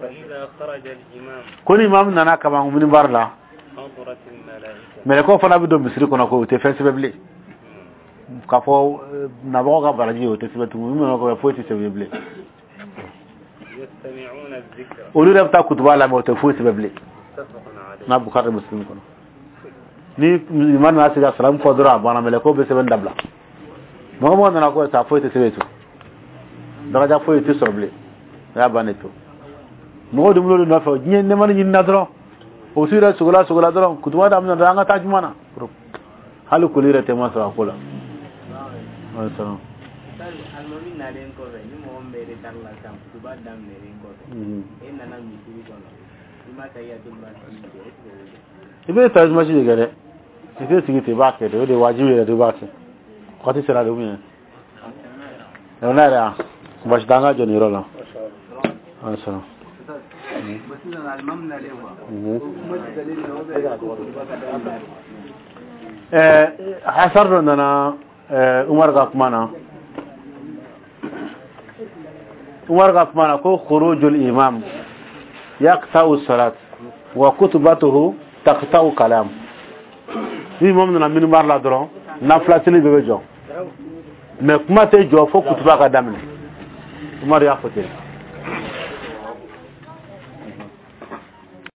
فإذا خرج الإمام Ko ni imam nana kaban minbar la, حضرت الملائكة mɛlɛkɛw fana bɛ don misiri kɔnɔ ko o tɛ fɛn sɛbɛn bilen. K'a fɔ eh, nabagaw ka baraji, o tɛ sɛbɛn tugun, min bɛ foyi tɛ sɛbɛn bilen. يستمعون الذكر Olu yɛrɛ bɛ taa kutuba lamɛn, o tɛ foyi sɛbɛn bilen. متفق عليه. N'a Bukhari Muslim kɔnɔ. Ni imam nana se ka salamu fɔ dɔrɔn, a banna, mɛlɛkɛw bɛ sɛbɛn dabila. Mɔgɔ mɔgɔ nana ko sa, foyi tɛ sɛbɛn to. Daraja foyi tɛ sɔrɔ bilen. O y'a bannen to. Mɔgɔw de bolo nɔfɛ, diɲɛ nɛmani ɲinina dɔrɔn. O su yɛrɛ sogola sogola dɔrɔn, kutuba daminɛ dɔrɔn, an ka taa juma na. Hali koli yɛrɛ tɛ ma sɔrɔ a ko la. Wa salam. Alimami nalen kɔfɛ, ni mɔgɔ min bɛ retard la sisan, kutuba daminɛlen kɔfɛ, Mhm. e nana misiri kɔnɔ, i ma tahiyatul masjid kɛ, est ce que o bɛ kɛ? I bɛ tahiyatul masjid de kɛ dɛ. I tɛ sigi ten, i b'a kɛ de, o de ye wajibi yɛrɛ de, i b'a kɛ. Waati sera de ou bien? N'a yɛrɛ yan, baasi tɛ, an ka jɔ nin yɔrɔ la. Wa salam. Bon, sisan alimami nalen quoi, Mhm. o kuma tigɛlen don ou bien ko kutuba ka daminɛ? Ɛɛ, hasar dɔ nana ɛɛ Umar ka kuma na. Umar ka kuma na ko khurujul imam yaqta'u salat wa kutubatuhu taqta'u kalam. Ni imam nana minbar la dɔrɔn, nafila seli bɛɛ bɛ jɔ. Mais kuma tɛ jɔ fo kutuba ka daminɛ. Umar y'a fɔ ten.